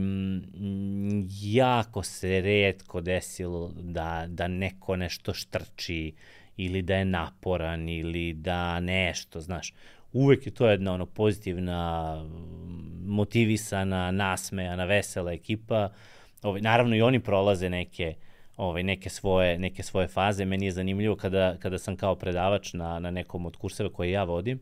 jako se retko desilo da, da neko nešto štrči, ili da je naporan, ili da nešto, znaš. Uvek je to jedna ono pozitivna, motivisana, nasmejana, vesela ekipa. Ovaj, naravno i oni prolaze neke, ovaj, neke, svoje, neke svoje faze. Meni je zanimljivo kada, kada sam kao predavač na, na nekom od kurseva koje ja vodim,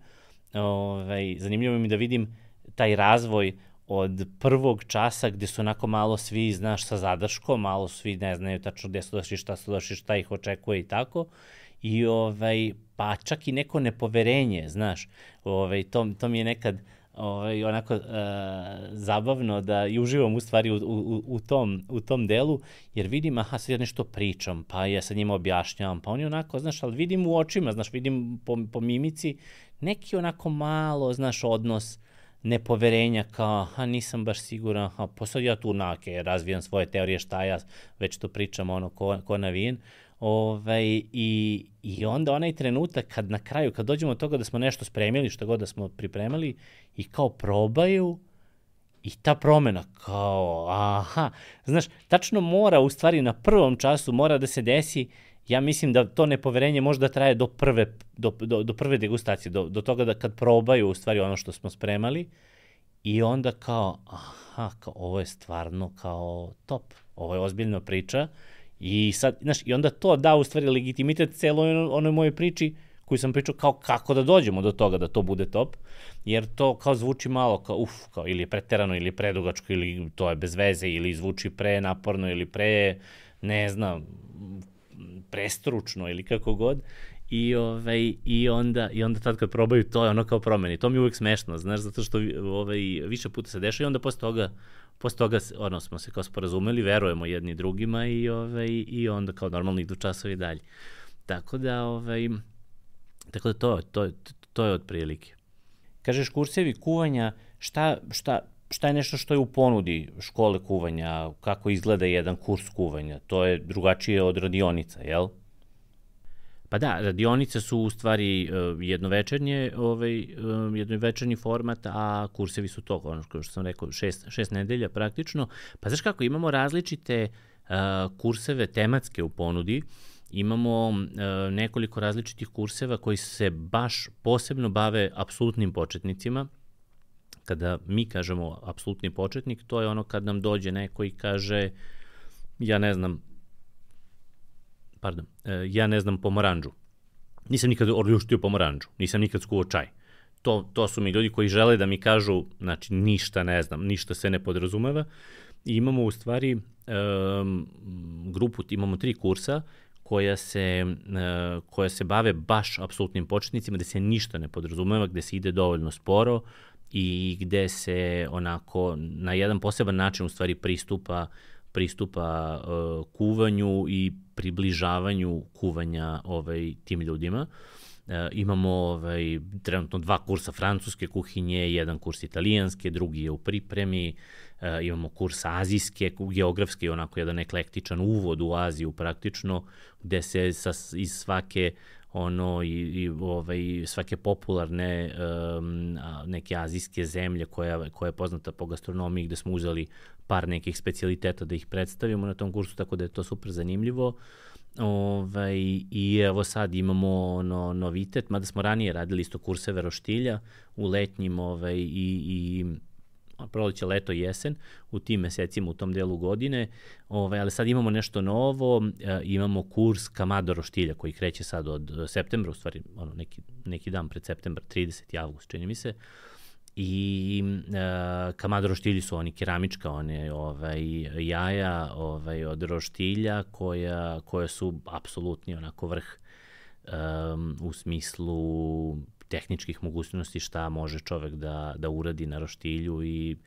ovaj, zanimljivo mi da vidim taj razvoj od prvog časa gde su onako malo svi, znaš, sa zadrškom, malo svi ne znaju tačno gde su došli, šta su došli, šta ih očekuje i tako. I ovaj, pa čak i neko nepoverenje, znaš, ovaj, to, to mi je nekad ovaj, onako uh, zabavno da i uživam u stvari u, u, u, tom, u tom delu, jer vidim, aha, sad ja nešto pričam, pa ja sad njima objašnjavam, pa oni onako, znaš, ali vidim u očima, znaš, vidim po, po mimici, neki onako malo, znaš, odnos nepoverenja, kao, aha, nisam baš siguran, aha, pa sad ja tu nake razvijam svoje teorije, šta ja već to pričam, ono, ko, ko navijen. Ovaj, i, i onda onaj trenutak kad na kraju, kad dođemo od toga da smo nešto spremili, što god da smo pripremali, i kao probaju, i ta promena kao, aha, znaš, tačno mora u stvari na prvom času mora da se desi, ja mislim da to nepoverenje možda traje do prve, do, do, do prve degustacije, do, do toga da kad probaju u stvari ono što smo spremali, i onda kao, aha, kao, ovo je stvarno kao top, ovo je ozbiljna priča. I sad, znaš, i onda to da u stvari legitimitet celoj onoj mojoj priči koju sam pričao kao kako da dođemo do toga da to bude top, jer to kao zvuči malo kao uf, kao ili je preterano ili predugačko ili to je bez veze ili zvuči pre naporno ili pre, ne znam, prestručno ili kako god. I, ovaj, i, onda, i onda tad kad probaju to je ono kao promeni. To mi je uvek smešno, znaš, zato što ovaj, više puta se dešava i onda posle toga Posle toga ono, smo se kao sporazumeli, verujemo jedni drugima i, ovaj, i onda kao normalno idu časovi dalje. Tako da, ovaj, tako da to, to, to je otprilike. Kažeš kursevi kuvanja, šta, šta, šta je nešto što je u ponudi škole kuvanja, kako izgleda jedan kurs kuvanja? To je drugačije od radionica, jel? Pa da, radionice su u stvari uh, jednovečernje, ovaj, uh, jednovečernji format, a kursevi su to, ono što sam rekao, šest, šest nedelja praktično. Pa znaš kako, imamo različite uh, kurseve tematske u ponudi, imamo uh, nekoliko različitih kurseva koji se baš posebno bave apsolutnim početnicima. Kada mi kažemo apsolutni početnik, to je ono kad nam dođe neko i kaže, ja ne znam, Pardon, ja ne znam pomoranđu. Nisam nikad orljuštio pomoranđu, nisam nikad skuvao čaj. To, to su mi ljudi koji žele da mi kažu, znači ništa ne znam, ništa se ne podrazumeva. I imamo u stvari um, grupu, imamo tri kursa koja se, uh, koja se bave baš apsolutnim početnicima, gde se ništa ne podrazumeva, gde se ide dovoljno sporo i gde se onako na jedan poseban način u stvari pristupa pristupa uh, kuvanju i približavanju kuvanja ovaj, tim ljudima. Uh, imamo ovaj, trenutno dva kursa francuske kuhinje, jedan kurs italijanske, drugi je u pripremi, uh, imamo kurs azijske, geografski, onako jedan eklektičan uvod u Aziju praktično, gde se sa, iz svake ono i, i ovaj, svake popularne um, neke azijske zemlje koja, koja je poznata po gastronomiji, gde smo uzeli par nekih specijaliteta da ih predstavimo na tom kursu, tako da je to super zanimljivo. Ovaj, I evo sad imamo ono, novitet, mada smo ranije radili isto kurseve roštilja u letnjim ovaj, i, i proleće, leto i jesen, u tim mesecima, u tom delu godine, ovaj, ali sad imamo nešto novo, e, imamo kurs kamado roštilja koji kreće sad od septembra, u stvari ono, neki, neki dan pred septembar, trideseti avgust, čini mi se, i e, kamado roštilji su oni keramička, one ovaj, jaja ovaj, od roštilja koja, koja su apsolutni onako vrh um, u smislu tehničkih mogućnosti šta može čovek da, da uradi na roštilju i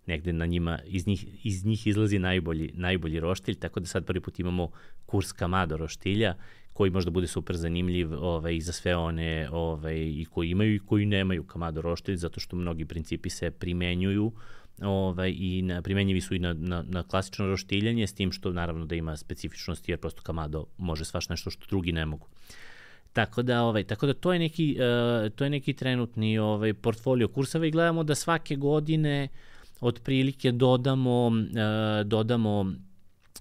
negde na njima, iz njih, iz njih izlazi najbolji, najbolji roštilj, tako da sad prvi put imamo kurs kamado roštilja koji možda bude super zanimljiv ovaj, i za sve one ovaj, i koji imaju i koji nemaju kamado roštilj, zato što mnogi principi se primenjuju ovaj, i na, primenjivi su i na, na, na klasično roštiljanje, s tim što naravno da ima specifičnosti, jer prosto kamado može svaš nešto što drugi ne mogu. Tako da, ovaj, tako da to je neki, uh, to je neki trenutni ovaj, portfolio kurseva i gledamo da svake godine otprilike dodamo, uh, dodamo,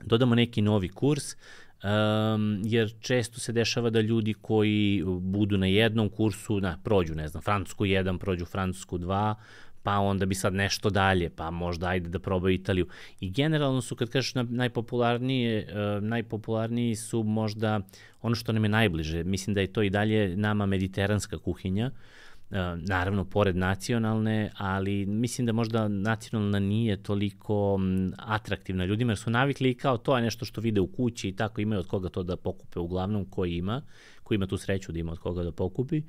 dodamo neki novi kurs, um, jer često se dešava da ljudi koji budu na jednom kursu, na, prođu, ne znam, Francusku jedan, prođu Francusku dva, pa onda bi sad nešto dalje, pa možda ajde da probaju Italiju. I generalno su, kad kažeš najpopularnije, uh, najpopularniji su možda ono što nam je najbliže. Mislim da je to i dalje nama mediteranska kuhinja, uh, naravno pored nacionalne, ali mislim da možda nacionalna nije toliko um, atraktivna ljudima, jer su navikli kao to je nešto što vide u kući i tako imaju od koga to da pokupe, uglavnom koji ima, koji ima tu sreću da ima od koga da pokupi.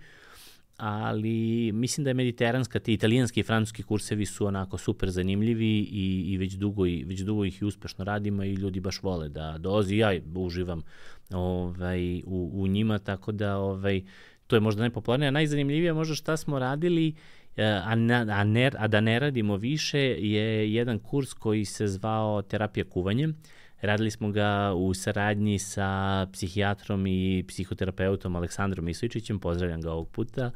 Ali mislim da je mediteranska, ti italijanski i francuski kursevi su onako super zanimljivi i, i već dugo, i, već dugo ih i uspešno radimo i ljudi baš vole da dolazi. Ja uživam ovaj, u, u njima, tako da ovaj, to je možda najpopularnije, a najzanimljivije možda šta smo radili, a, na, a, ne, a da ne radimo više, je jedan kurs koji se zvao terapija kuvanjem. Radili smo ga u saradnji sa psihijatrom i psihoterapeutom Aleksandrom Isojčićem, pozdravljam ga ovog puta.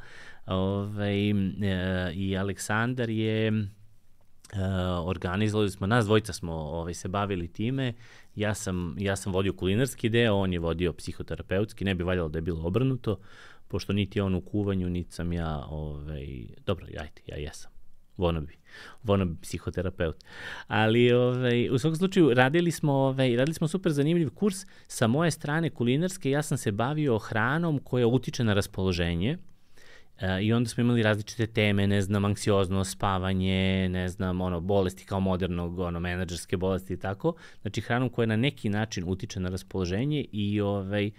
Ove, e, I Aleksandar je, e, organizovali smo, nas dvojica smo ove, se bavili time, ja sam, ja sam vodio kulinarski deo, on je vodio psihoterapeutski, ne bi valjalo da je bilo obrnuto, pošto niti on u kuvanju, niti sam ja, ove, dobro, ajte, ja jesam. Vonobi, vonobi psihoterapeut. Ali ovaj, u svakom slučaju radili smo, ovaj, radili smo super zanimljiv kurs sa moje strane kulinarske. Ja sam se bavio hranom koja utiče na raspoloženje e, i onda smo imali različite teme, ne znam, anksioznost, spavanje, ne znam, ono, bolesti kao modernog, ono, menadžerske bolesti i tako. Znači hranom koja na neki način utiče na raspoloženje i ovaj,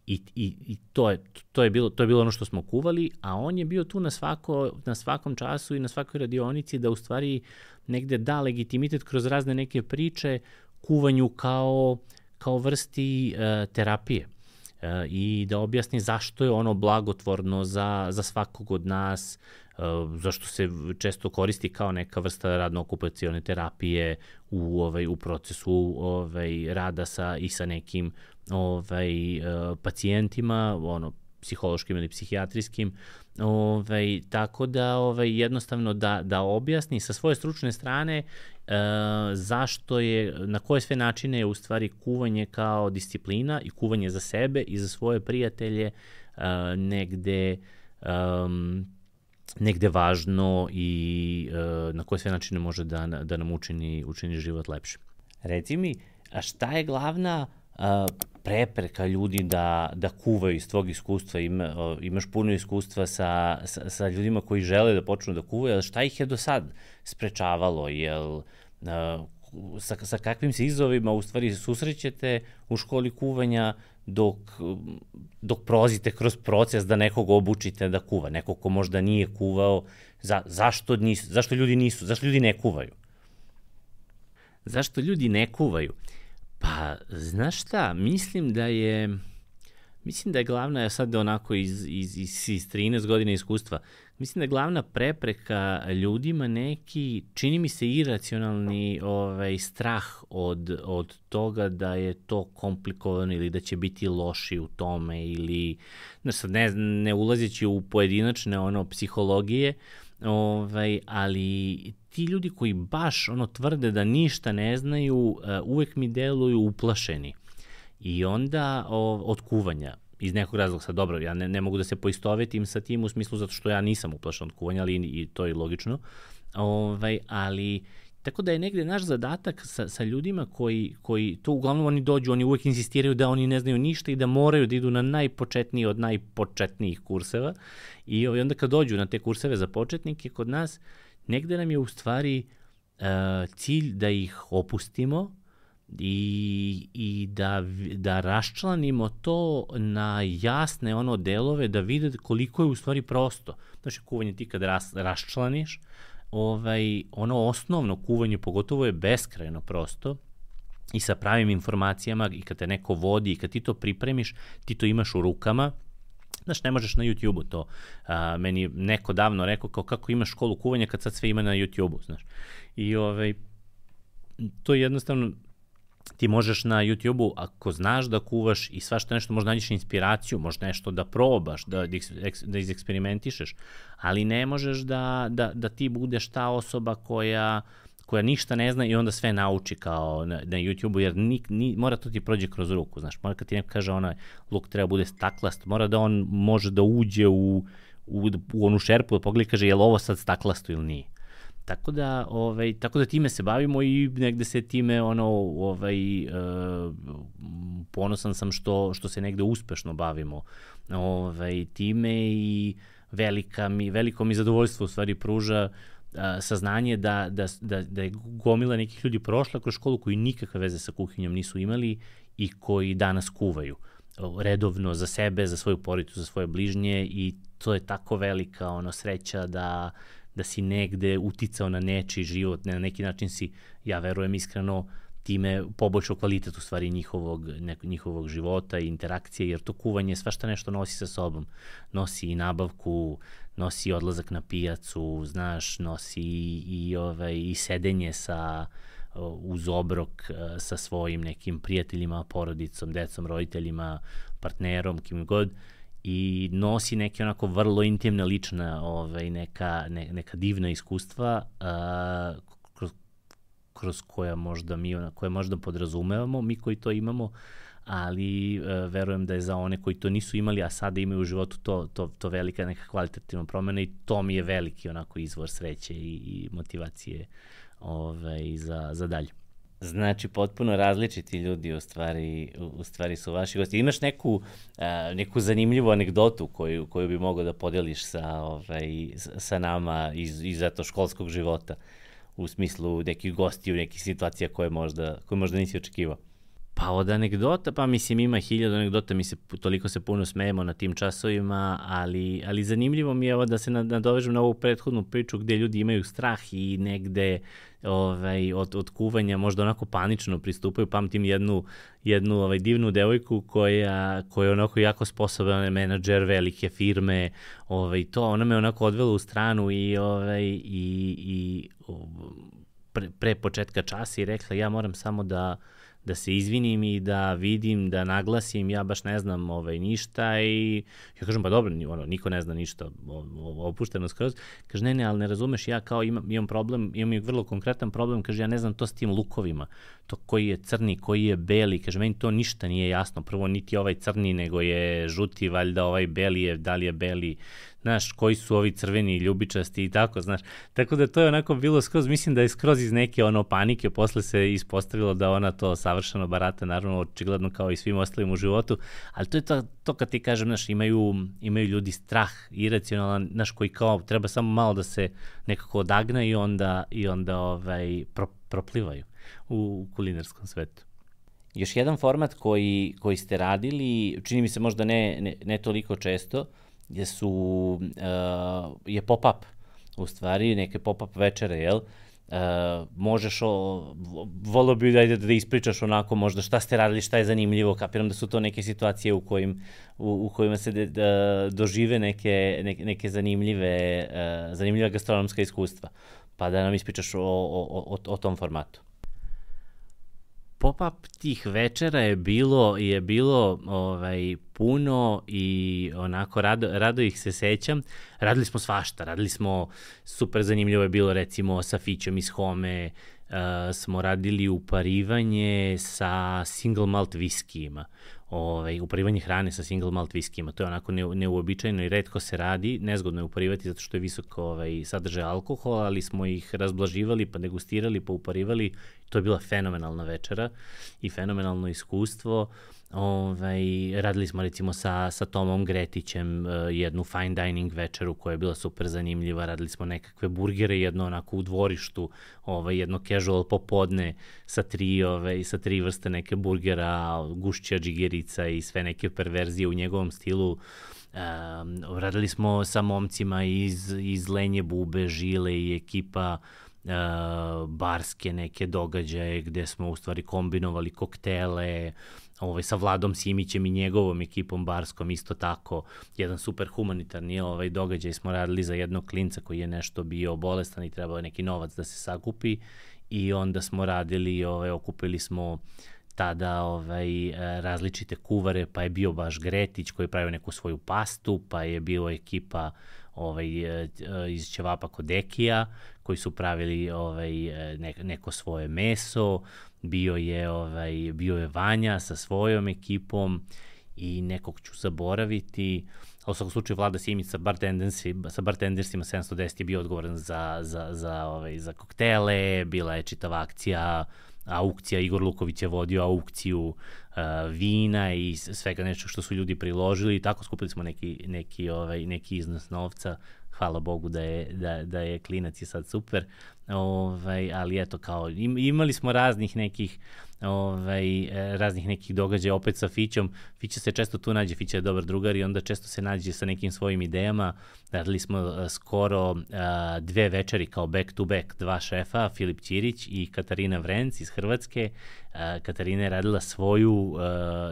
I, i, i to, je, to, je bilo, to je bilo ono što smo kuvali, a on je bio tu na, svako, na svakom času i na svakoj radionici da u stvari negde da legitimitet kroz razne neke priče kuvanju kao, kao vrsti uh, terapije uh, i da objasni zašto je ono blagotvorno za, za svakog od nas, uh, zašto se često koristi kao neka vrsta radno-okupacione terapije u, ovaj, u procesu ovaj, rada sa, i sa nekim ovaj, uh, pacijentima, ono, psihološkim ili psihijatrijskim, ovaj, tako da ovaj, jednostavno da, da objasni sa svoje stručne strane uh, zašto je, na koje sve načine je u stvari kuvanje kao disciplina i kuvanje za sebe i za svoje prijatelje uh, negde um, negde važno i uh, na koje sve načine može da, da nam učini, učini život lepšim. Reci mi, a šta je glavna uh, prepreka ljudi da, da kuvaju iz tvog iskustva? Ima, imaš puno iskustva sa, sa, sa ljudima koji žele da počnu da kuvaju, ali šta ih je do sad sprečavalo? Jel, uh, sa, sa kakvim se izazovima u stvari susrećete u školi kuvanja dok, dok prolazite kroz proces da nekog obučite da kuva, nekog ko možda nije kuvao, za, zašto, nisu, zašto ljudi nisu, zašto ljudi ne kuvaju? Zašto ljudi ne kuvaju? Pa, znaš šta, mislim da je, mislim da je glavna, ja sad onako iz, iz, iz, iz trinaest godina iskustva, mislim da je glavna prepreka ljudima neki, čini mi se iracionalni ovaj, strah od, od toga da je to komplikovano ili da će biti loši u tome ili, znaš sad, ne, ne ulazeći u pojedinačne ono, psihologije, ovaj, ali ti ljudi koji baš ono tvrde da ništa ne znaju, uh, uvek mi deluju uplašeni. I onda o, od kuvanja, iz nekog razloga, sad dobro, ja ne, ne mogu da se poistovetim sa tim u smislu zato što ja nisam uplašen od kuvanja, ali i, i to je logično. Ovaj, ali tako da je negde naš zadatak sa, sa ljudima koji, koji, to uglavnom oni dođu, oni uvek insistiraju da oni ne znaju ništa i da moraju da idu na najpočetniji od najpočetnijih kurseva. I ovaj, onda kad dođu na te kurseve za početnike kod nas, negde nam je u stvari uh, cilj da ih opustimo i, i da, da raščlanimo to na jasne ono delove, da vide koliko je u stvari prosto. Znači, kuvanje ti kad ras, raščlaniš, ovaj, ono osnovno kuvanje pogotovo je beskrajno prosto i sa pravim informacijama i kad te neko vodi i kad ti to pripremiš, ti to imaš u rukama. Znaš, ne možeš na YouTube-u to. A, meni je neko davno rekao kao kako imaš školu kuvanja kad sad sve ima na YouTube-u, znaš. I ovaj, to je jednostavno, ti možeš na YouTube-u, ako znaš da kuvaš i svašta nešto, možda nađeš inspiraciju, možda nešto da probaš, da, da izeksperimentišeš, ali ne možeš da, da, da ti budeš ta osoba koja koja ništa ne zna i onda sve nauči kao na, na YouTube-u, jer ni, ni, mora to ti prođe kroz ruku, znaš, mora kad ti neko kaže onaj luk treba bude staklast, mora da on može da uđe u, u, u onu šerpu, da pogleda i kaže je li ovo sad staklasto ili nije. Tako da, ovaj, tako da time se bavimo i negde se time ono, ovaj, e, ponosan sam što, što se negde uspešno bavimo ovaj, time i velika mi, veliko mi zadovoljstvo u stvari pruža saznanje da, da, da, da je gomila nekih ljudi prošla kroz školu koji nikakve veze sa kuhinjom nisu imali i koji danas kuvaju redovno za sebe, za svoju porodicu, za svoje bližnje i to je tako velika ono, sreća da, da si negde uticao na nečiji život, na neki način si, ja verujem iskreno, time poboljšao kvalitet u stvari njihovog, ne, njihovog života i interakcije, jer to kuvanje svašta nešto nosi sa sobom. Nosi i nabavku, nosi odlazak na pijacu, znaš, nosi i, i, ovaj, i sedenje sa, uz obrok sa svojim nekim prijateljima, porodicom, decom, roditeljima, partnerom, kim god, i nosi neke onako vrlo intimna, lična, ovaj, neka, ne, neka divna iskustva uh, kroz, kroz koja možda mi, koje možda podrazumevamo, mi koji to imamo, ali uh, verujem da je za one koji to nisu imali, a sada imaju u životu to, to, to velika neka kvalitativna promena i to mi je veliki onako izvor sreće i, i motivacije ovaj, za, za dalje. Znači, potpuno različiti ljudi u stvari, u stvari su vaši gosti. Imaš neku, uh, neku zanimljivu anegdotu koju, koju bi mogao da podeliš sa, ovaj, sa nama iz, iz zato školskog života, u smislu nekih gostiju, nekih situacija koje možda, koje možda nisi očekivao? Pa od anegdota, pa mislim ima hiljadu anegdota, mi se toliko se puno smejemo na tim časovima, ali, ali zanimljivo mi je ovo da se nadovežem na ovu prethodnu priču gde ljudi imaju strah i negde ovaj, od, od kuvanja možda onako panično pristupaju. Pamtim jednu, jednu ovaj, divnu devojku koja, koja je onako jako sposoban menadžer velike firme, ovaj, to, ona me onako odvela u stranu i, ovaj, i, i pre, pre početka časa i rekla ja moram samo da da se izvinim i da vidim, da naglasim, ja baš ne znam ovaj, ništa i ja kažem, pa dobro, ono, niko ne zna ništa, opušteno skroz. Kaže, ne, ne, ali ne razumeš, ja kao imam, imam problem, imam vrlo konkretan problem, kaže, ja ne znam to s tim lukovima, to koji je crni, koji je beli, kaže, meni to ništa nije jasno, prvo niti ovaj crni, nego je žuti, valjda ovaj beli je, da li je beli, znaš, koji su ovi crveni, ljubičasti i tako, znaš. Tako da to je onako bilo skroz, mislim da je skroz iz neke ono panike, posle se ispostavilo da ona to savršeno barata, naravno, očigledno kao i svim ostalim u životu, ali to je to, to kad ti kažem, znaš, imaju, imaju ljudi strah, iracionalan, znaš, koji kao treba samo malo da se nekako odagna i onda, i onda ovaj, pro, proplivaju u, u kulinarskom svetu. Još jedan format koji, koji ste radili, čini mi se možda ne, ne, ne toliko često, je su, uh, je pop-up, u stvari, neke pop-up večere, jel? Uh, možeš, o, volio bi da, da ispričaš onako možda šta ste radili, šta je zanimljivo, kapiram da su to neke situacije u, kojim, u, u kojima se de, da, dožive neke, neke, neke zanimljive, uh, zanimljiva gastronomska iskustva, pa da nam ispričaš o, o, o, o tom formatu. Pop-up tih večera je bilo, je bilo ovaj, puno i onako rado, rado ih se sećam. Radili smo svašta, radili smo, super zanimljivo je bilo recimo sa Fićom iz Home, uh, smo radili uparivanje sa single malt viskijima. Ovaj, uparivanje hrane sa single malt viskijima, to je onako ne, neuobičajeno i retko se radi, nezgodno je uparivati zato što je visok ovaj, sadržaj alkohola, ali smo ih razblaživali, pa degustirali, pa uparivali, to je bila fenomenalna večera i fenomenalno iskustvo. Ovaj, radili smo recimo sa, sa Tomom Gretićem uh, jednu fine dining večeru koja je bila super zanimljiva, radili smo nekakve burgere, jedno onako u dvorištu, ovaj, jedno casual popodne sa tri, ovaj, sa tri vrste neke burgera, gušća džigerica i sve neke perverzije u njegovom stilu. Um, radili smo sa momcima iz, iz Lenje Bube, Žile i ekipa Uh, barske neke događaje gde smo u stvari kombinovali koktele, ovaj, sa Vladom Simićem i njegovom ekipom barskom isto tako, jedan super humanitarni ovaj, događaj smo radili za jednog klinca koji je nešto bio bolestan i trebao je neki novac da se sakupi i onda smo radili, ovaj, okupili smo tada ovaj, različite kuvare, pa je bio baš Gretić koji je pravio neku svoju pastu, pa je bilo ekipa ovaj, iz ćevapa kod Dekija, koji su pravili ovaj, neko svoje meso, bio je, ovaj, bio je Vanja sa svojom ekipom i nekog ću zaboraviti, ali u svakom slučaju Vlada Simić sa, sa bartendersima sedamsto deset je bio odgovoran za, za, za, ovaj, za koktele, bila je čitava akcija, aukcija, Igor Luković je vodio aukciju uh, vina i svega nešto što su ljudi priložili i tako skupili smo neki, neki, ovaj, neki iznos novca. Hvala Bogu da je, da, da je klinac je sad super, ovaj, ali eto kao im, imali smo raznih nekih ovaj, raznih nekih događaja opet sa Fićom. Fića se često tu nađe, Fića je dobar drugar i onda često se nađe sa nekim svojim idejama. Radili smo uh, skoro uh, dve večeri kao back to back, dva šefa, Filip Ćirić i Katarina Vrenc iz Hrvatske. Uh, Katarina je radila svoju, uh,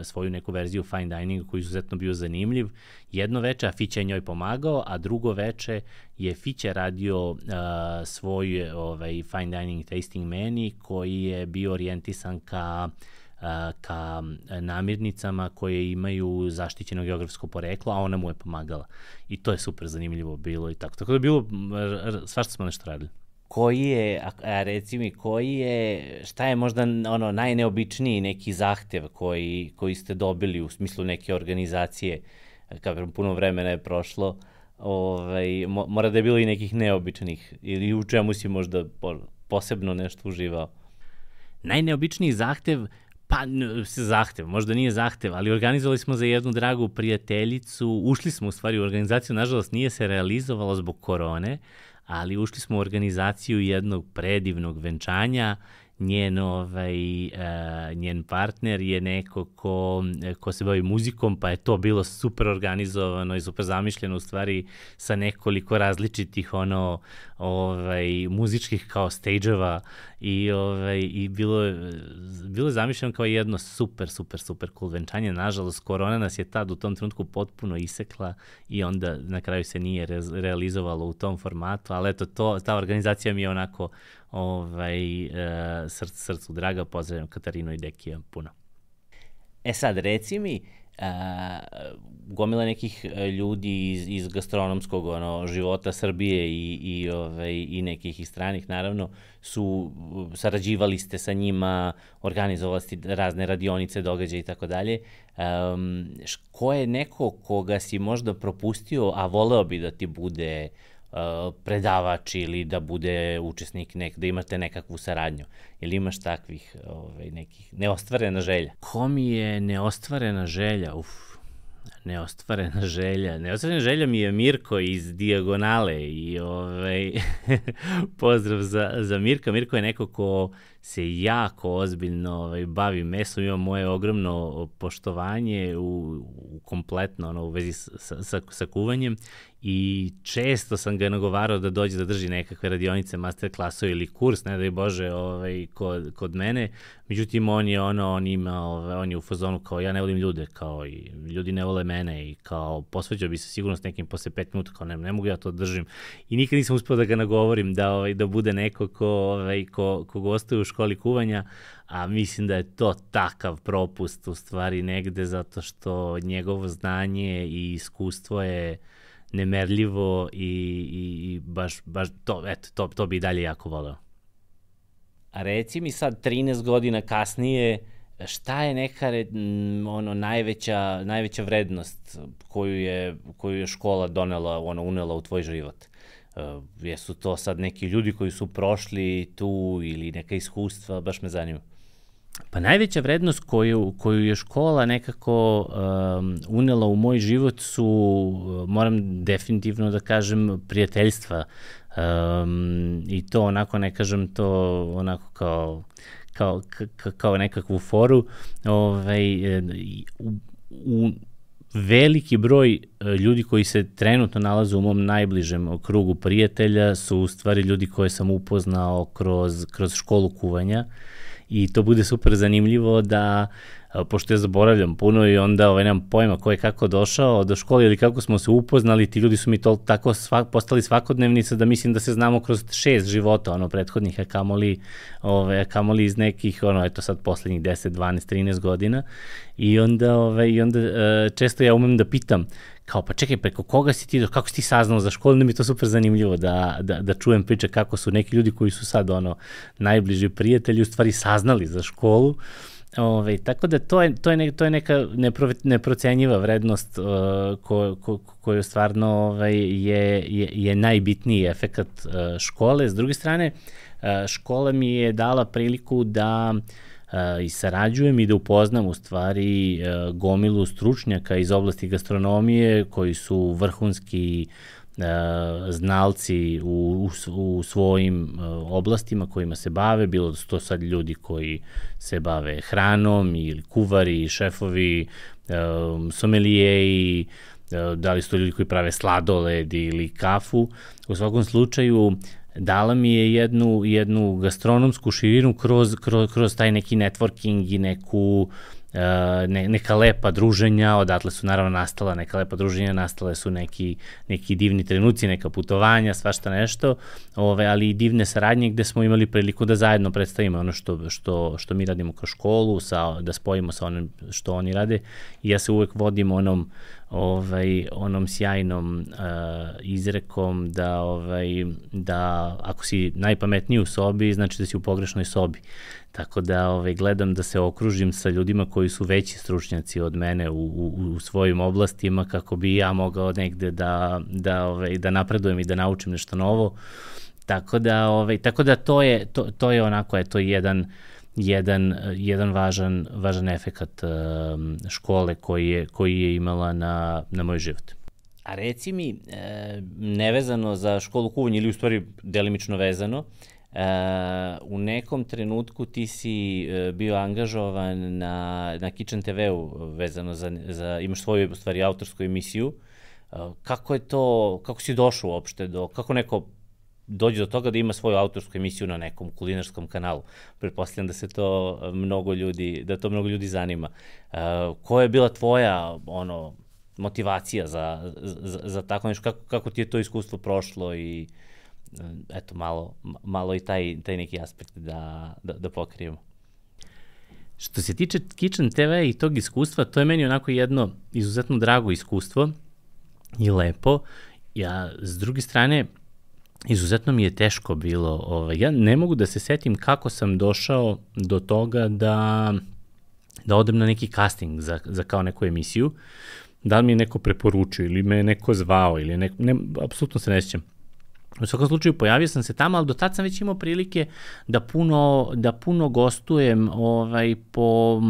svoju neku verziju fine dininga koji je izuzetno bio zanimljiv. Jedno veče, a Fića je njoj pomagao, a drugo veče je Fića radio uh, svoj ovaj, fine dining tasting menu koji je bio orijentisan ka ka namirnicama koje imaju zaštićeno geografsko poreklo, a ona mu je pomagala. I to je super zanimljivo bilo i tako. Tako da je bilo, svašta smo nešto radili. Koji je, a reci mi, koji je, šta je možda ono najneobičniji neki zahtev koji, koji ste dobili u smislu neke organizacije, kao puno vremena je prošlo, ovaj, mora da je bilo i nekih neobičnih ili u čemu si možda posebno nešto uživao? Najneobičniji zahtev, pa zahtev, možda nije zahtev, ali organizovali smo za jednu dragu prijateljicu, ušli smo u stvari u organizaciju, nažalost nije se realizovalo zbog korone, ali ušli smo u organizaciju jednog predivnog venčanja. Njen, ovaj, uh, njen partner je neko ko, ko se bavi muzikom, pa je to bilo super organizovano i super zamišljeno u stvari sa nekoliko različitih ono, ovaj, muzičkih kao stage-eva i, ovaj, i bilo, bilo je zamišljeno kao jedno super, super, super cool venčanje. Nažalost, korona nas je tad u tom trenutku potpuno isekla i onda na kraju se nije re, realizovalo u tom formatu, ali eto, to, ta organizacija mi je onako ovaj, uh, src, srcu draga, pozdravljam Katarinu i Dekija puno. E sad, reci mi, uh, gomila nekih ljudi iz, iz gastronomskog ono, života Srbije i, i, ovaj, i nekih i stranih, naravno, su, sarađivali ste sa njima, organizovali ste razne radionice, događaje i tako dalje. Um, ko je neko koga si možda propustio, a voleo bi da ti bude predavač ili da bude učesnik, nek, da imate nekakvu saradnju. Ili imaš takvih ovaj, nekih neostvarena želja? Ko mi je neostvarena želja? Uf, neostvarena želja. Neostvarena želja mi je Mirko iz Dijagonale i ovaj, pozdrav za, za Mirka. Mirko je neko ko se jako ozbiljno ovaj, bavim mesom, imam moje ogromno poštovanje u, u kompletno ono, u vezi sa, sa, sa kuvanjem i često sam ga nagovarao da dođe da drži nekakve radionice, master klasove ili kurs, ne daj Bože, ovaj, kod, kod mene. Međutim, on je ono, on ima, ovaj, on je u fazonu kao ja ne volim ljude, kao i ljudi ne vole mene i kao posveđao bi se sigurno s nekim posle pet minuta, kao ne, ne mogu ja to držim. I nikad nisam uspio da ga nagovorim da, ovaj, da bude neko ko, ovaj, ko, ko gostuje u školi kuvanja, a mislim da je to takav propust u stvari negde zato što njegovo znanje i iskustvo je nemerljivo i, i, i baš, baš to, eto, to, to bi i dalje jako voleo. A reci mi sad trinaest godina kasnije, šta je neka ono, najveća, najveća vrednost koju je, koju je škola donela, ono, unela u tvoj život? Uh, jesu to sad neki ljudi koji su prošli tu ili neka iskustva, baš me zanima. Pa najveća vrednost koju, koju je škola nekako um, unela u moj život su, moram definitivno da kažem, prijateljstva. Um, I to onako, ne kažem to onako kao, kao, ka, kao nekakvu foru. Ovaj, u, u veliki broj ljudi koji se trenutno nalaze u mom najbližem krugu prijatelja su u stvari ljudi koje sam upoznao kroz, kroz školu kuvanja. I to bude super zanimljivo da, pošto ja zaboravljam puno i onda ovaj, nemam pojma ko je kako došao do škole ili kako smo se upoznali, ti ljudi su mi to tako svak, postali svakodnevnica da mislim da se znamo kroz šest života, ono, prethodnih, a kamoli, ovaj, a kamoli iz nekih, ono, eto sad poslednjih deset, dvanaest, trinaest godina. I onda, ovaj, i onda često ja umem da pitam, kao pa čekaj, preko koga si ti, kako si ti saznao za školu, onda mi je to super zanimljivo da, da, da čujem priče kako su neki ljudi koji su sad ono najbliži prijatelji u stvari saznali za školu. Ove, tako da to je, to je, ne, to je neka nepro, neprocenjiva vrednost uh, ko, ko, koju stvarno ovaj, je, je, je najbitniji efekat uh, škole. S druge strane, uh, škola mi je dala priliku da Uh, i sarađujem i da upoznam u stvari uh, gomilu stručnjaka iz oblasti gastronomije koji su vrhunski uh, znalci u, u, u svojim uh, oblastima kojima se bave, bilo da su to sad ljudi koji se bave hranom ili kuvari, šefovi, um, somelijeji, uh, da li su to ljudi koji prave sladoled ili kafu. U svakom slučaju dala mi je jednu, jednu gastronomsku širinu kroz, kroz, kroz taj neki networking i neku, uh, ne, neka lepa druženja, odatle su naravno nastala neka lepa druženja, nastale su neki, neki divni trenuci, neka putovanja, svašta nešto, ove, ali i divne saradnje gde smo imali priliku da zajedno predstavimo ono što, što, što mi radimo kroz školu, sa, da spojimo sa onim što oni rade. I ja se uvek vodim onom ovaj onom sjajnom uh, izrekom da ovaj da ako si najpametniji u sobi, znači da si u pogrešnoj sobi. Tako da ovaj gledam da se okružim sa ljudima koji su veći stručnjaci od mene u, u, u svojim oblastima kako bi ja mogao negde da da ovaj da napredujem i da naučim nešto novo. Tako da ovaj tako da to je to to je onako je to jedan jedan jedan važan važan efekat um, škole koji je koji je imala na na moj život. A reci mi, e, nevezano za školu kuvanja ili u stvari delimično vezano, e, u nekom trenutku ti si bio angažovan na na Kitchen te veu vezano za za imaš svoju u stvari autorsku emisiju. E, kako je to, kako si došao uopšte do, kako neko dođe do toga da ima svoju autorsku emisiju na nekom kulinarskom kanalu? Pretpostavljam da se to mnogo ljudi, da to mnogo ljudi zanima. Uh, koja je bila tvoja ono motivacija za, za, za tako nešto? Kako, kako ti je to iskustvo prošlo i eto malo, malo i taj, taj neki aspekt da, da, da pokrijemo? Što se tiče Kitchen te ve i tog iskustva, to je meni onako jedno izuzetno drago iskustvo i lepo. Ja, s druge strane, izuzetno mi je teško bilo. Ovaj, ja ne mogu da se setim kako sam došao do toga da, da odem na neki casting za, za kao neku emisiju. Da li mi je neko preporučio ili me je neko zvao ili neko, ne, apsolutno se ne sjećam. U svakom slučaju pojavio sam se tamo, ali do tad sam već imao prilike da puno, da puno gostujem ovaj, po,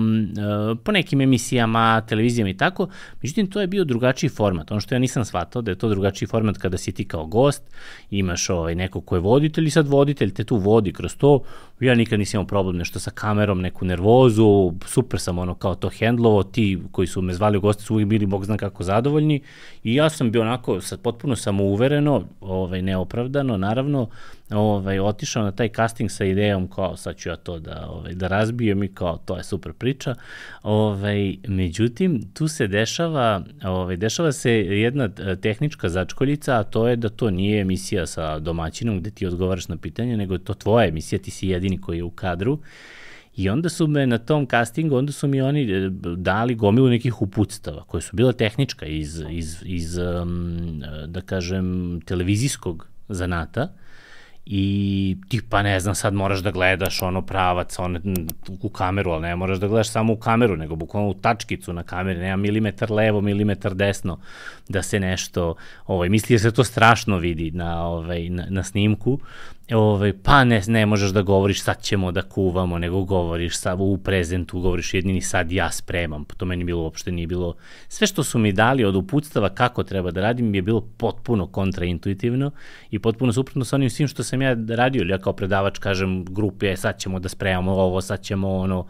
po nekim emisijama, televizijama i tako. Međutim, to je bio drugačiji format. Ono što ja nisam shvatao da je to drugačiji format kada si ti kao gost, imaš ovaj, neko ko je voditelj i sad voditelj te tu vodi kroz to. Ja nikad nisam imao problem nešto sa kamerom, neku nervozu, super sam ono kao to hendlovo, ti koji su me zvali u goste su uvijek bili bog zna kako zadovoljni i ja sam bio onako sad potpuno samouvereno, ovaj, neopravdano, naravno, ovaj, otišao na taj casting sa idejom kao sad ću ja to da, ovaj, da razbijem i kao to je super priča. Ovaj, međutim, tu se dešava, ovaj, dešava se jedna tehnička začkoljica, a to je da to nije emisija sa domaćinom gde ti odgovaraš na pitanje, nego je to tvoja emisija, ti si jedini koji je u kadru. I onda su me na tom castingu, onda su mi oni dali gomilu nekih uputstava koje su bila tehnička iz, iz, iz da kažem, televizijskog zanata i tipa ne znam sad moraš da gledaš ono pravac ono, u kameru, ali ne moraš da gledaš samo u kameru, nego bukvalno u tačkicu na kameri, nema milimetar levo, milimetar desno da se nešto, ovaj, misli da se to strašno vidi na, ovaj, na, na snimku, ovaj, pa ne, ne možeš da govoriš sad ćemo da kuvamo, nego govoriš sad u prezentu, govoriš jedini sad ja spremam, to meni bilo uopšte nije bilo, sve što su mi dali od uputstava kako treba da radim je bilo potpuno kontraintuitivno i potpuno suprotno sa onim svim što sam ja radio, ili ja kao predavač kažem grupi, sad ćemo da spremamo ovo, sad ćemo ono,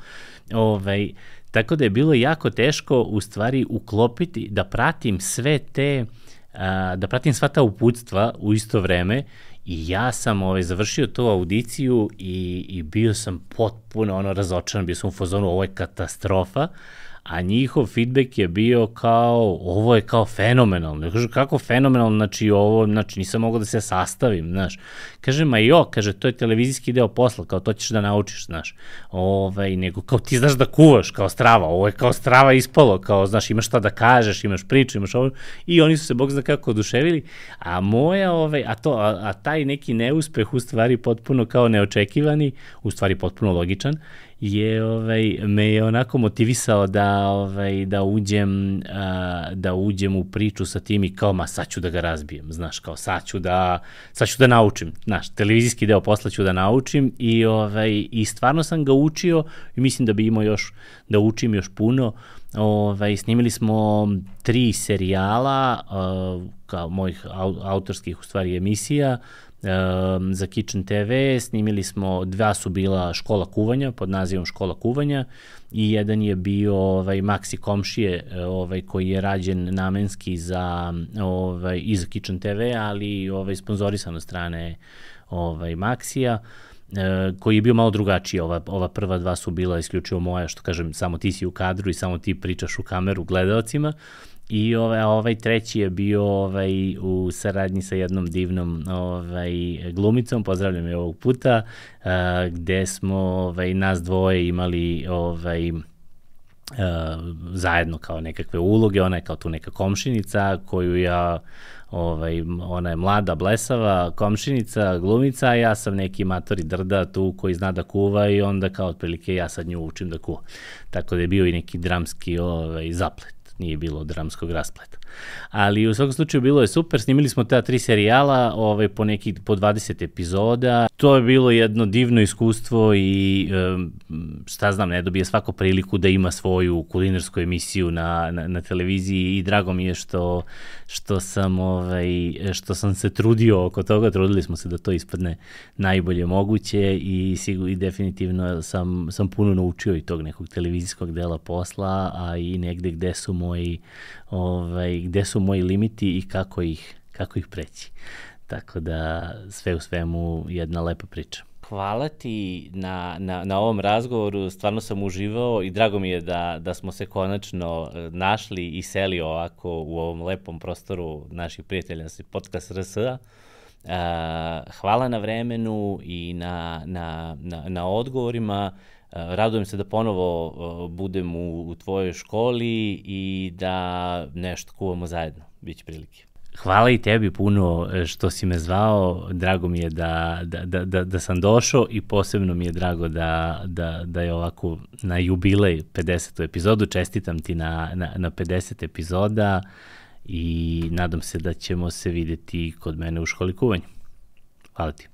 ovaj, tako da je bilo jako teško u stvari uklopiti, da pratim sve te, a, da pratim sva ta uputstva u isto vreme i ja sam ovaj, završio tu audiciju i, i bio sam potpuno ono razočaran, bio sam u fazonu, ovo je katastrofa, a njihov feedback je bio kao, ovo je kao fenomenalno. Ja kažem, kako fenomenalno, znači ovo, znači nisam mogao da se sastavim, znaš. Kaže, ma jo, kaže, to je televizijski deo posla, kao to ćeš da naučiš, znaš. Ovaj, nego, kao ti znaš da kuvaš, kao strava, ovo je kao strava ispalo, kao, znaš, imaš šta da kažeš, imaš priču, imaš ovo, i oni su se, bog zna kako, oduševili, a moja, ovaj, a to, a, a taj neki neuspeh, u stvari, potpuno kao neočekivani, u stvari potpuno logičan, je ovaj me je onako motivisao da ovaj da uđem a, da uđem u priču sa tim i kao ma sad ću da ga razbijem, znaš, kao sad ću da sad ću da naučim, znaš, televizijski deo posla ću da naučim i ovaj i stvarno sam ga učio i mislim da bi imao još da učim još puno. Ovaj snimili smo tri serijala uh, kao mojih au, autorskih u stvari emisija. Um, za Kitchen te ve, snimili smo, dva su bila škola kuvanja, pod nazivom škola kuvanja i jedan je bio ovaj, Maxi komšije ovaj, koji je rađen namenski za, ovaj, i za Kitchen te ve, ali ovaj, sponzorisan od strane ovaj, Maxija, Uh, koji je bio malo drugačiji, ova, ova prva dva su bila isključivo moja, što kažem, samo ti si u kadru i samo ti pričaš u kameru gledalcima. I ovaj, ovaj treći je bio ovaj, u saradnji sa jednom divnom ovaj, glumicom, pozdravljam je ovog puta, uh, gde smo ovaj, nas dvoje imali ovaj, uh, zajedno kao nekakve uloge, ona je kao tu neka komšinica koju ja, ovaj, ona je mlada, blesava komšinica, glumica, a ja sam neki matori drda tu koji zna da kuva i onda kao otprilike ja sad nju učim da kuva. Tako da je bio i neki dramski ovaj, zaplet. Nije bilo dramskog raspleta. Ali u svakom slučaju bilo je super, snimili smo ta tri serijala ovaj, po, neki, po dvadeset epizoda. To je bilo jedno divno iskustvo i šta znam, ne dobije svako priliku da ima svoju kulinarsku emisiju na, na, na televiziji i drago mi je što, što, sam, ovaj, što sam se trudio oko toga, trudili smo se da to ispadne najbolje moguće i, sigur, i definitivno sam, sam puno naučio i tog nekog televizijskog dela posla, a i negde gde su moji ovaj, gde su moji limiti i kako ih, kako ih preći. Tako da sve u svemu jedna lepa priča. Hvala ti na, na, na ovom razgovoru, stvarno sam uživao i drago mi je da, da smo se konačno našli i seli ovako u ovom lepom prostoru naših prijatelja, podcast R S A. Uh, hvala na vremenu i na, na, na, na odgovorima. Radujem se da ponovo budem u, u tvojoj školi i da nešto kuvamo zajedno. Biće prilike. Hvala i tebi puno što si me zvao. Drago mi je da, da, da, da, da sam došao i posebno mi je drago da, da, da je ovako na jubilej pedesetu epizodu. Čestitam ti na, na, na pedeset epizoda i nadam se da ćemo se videti kod mene u školi kuvanja. Hvala ti.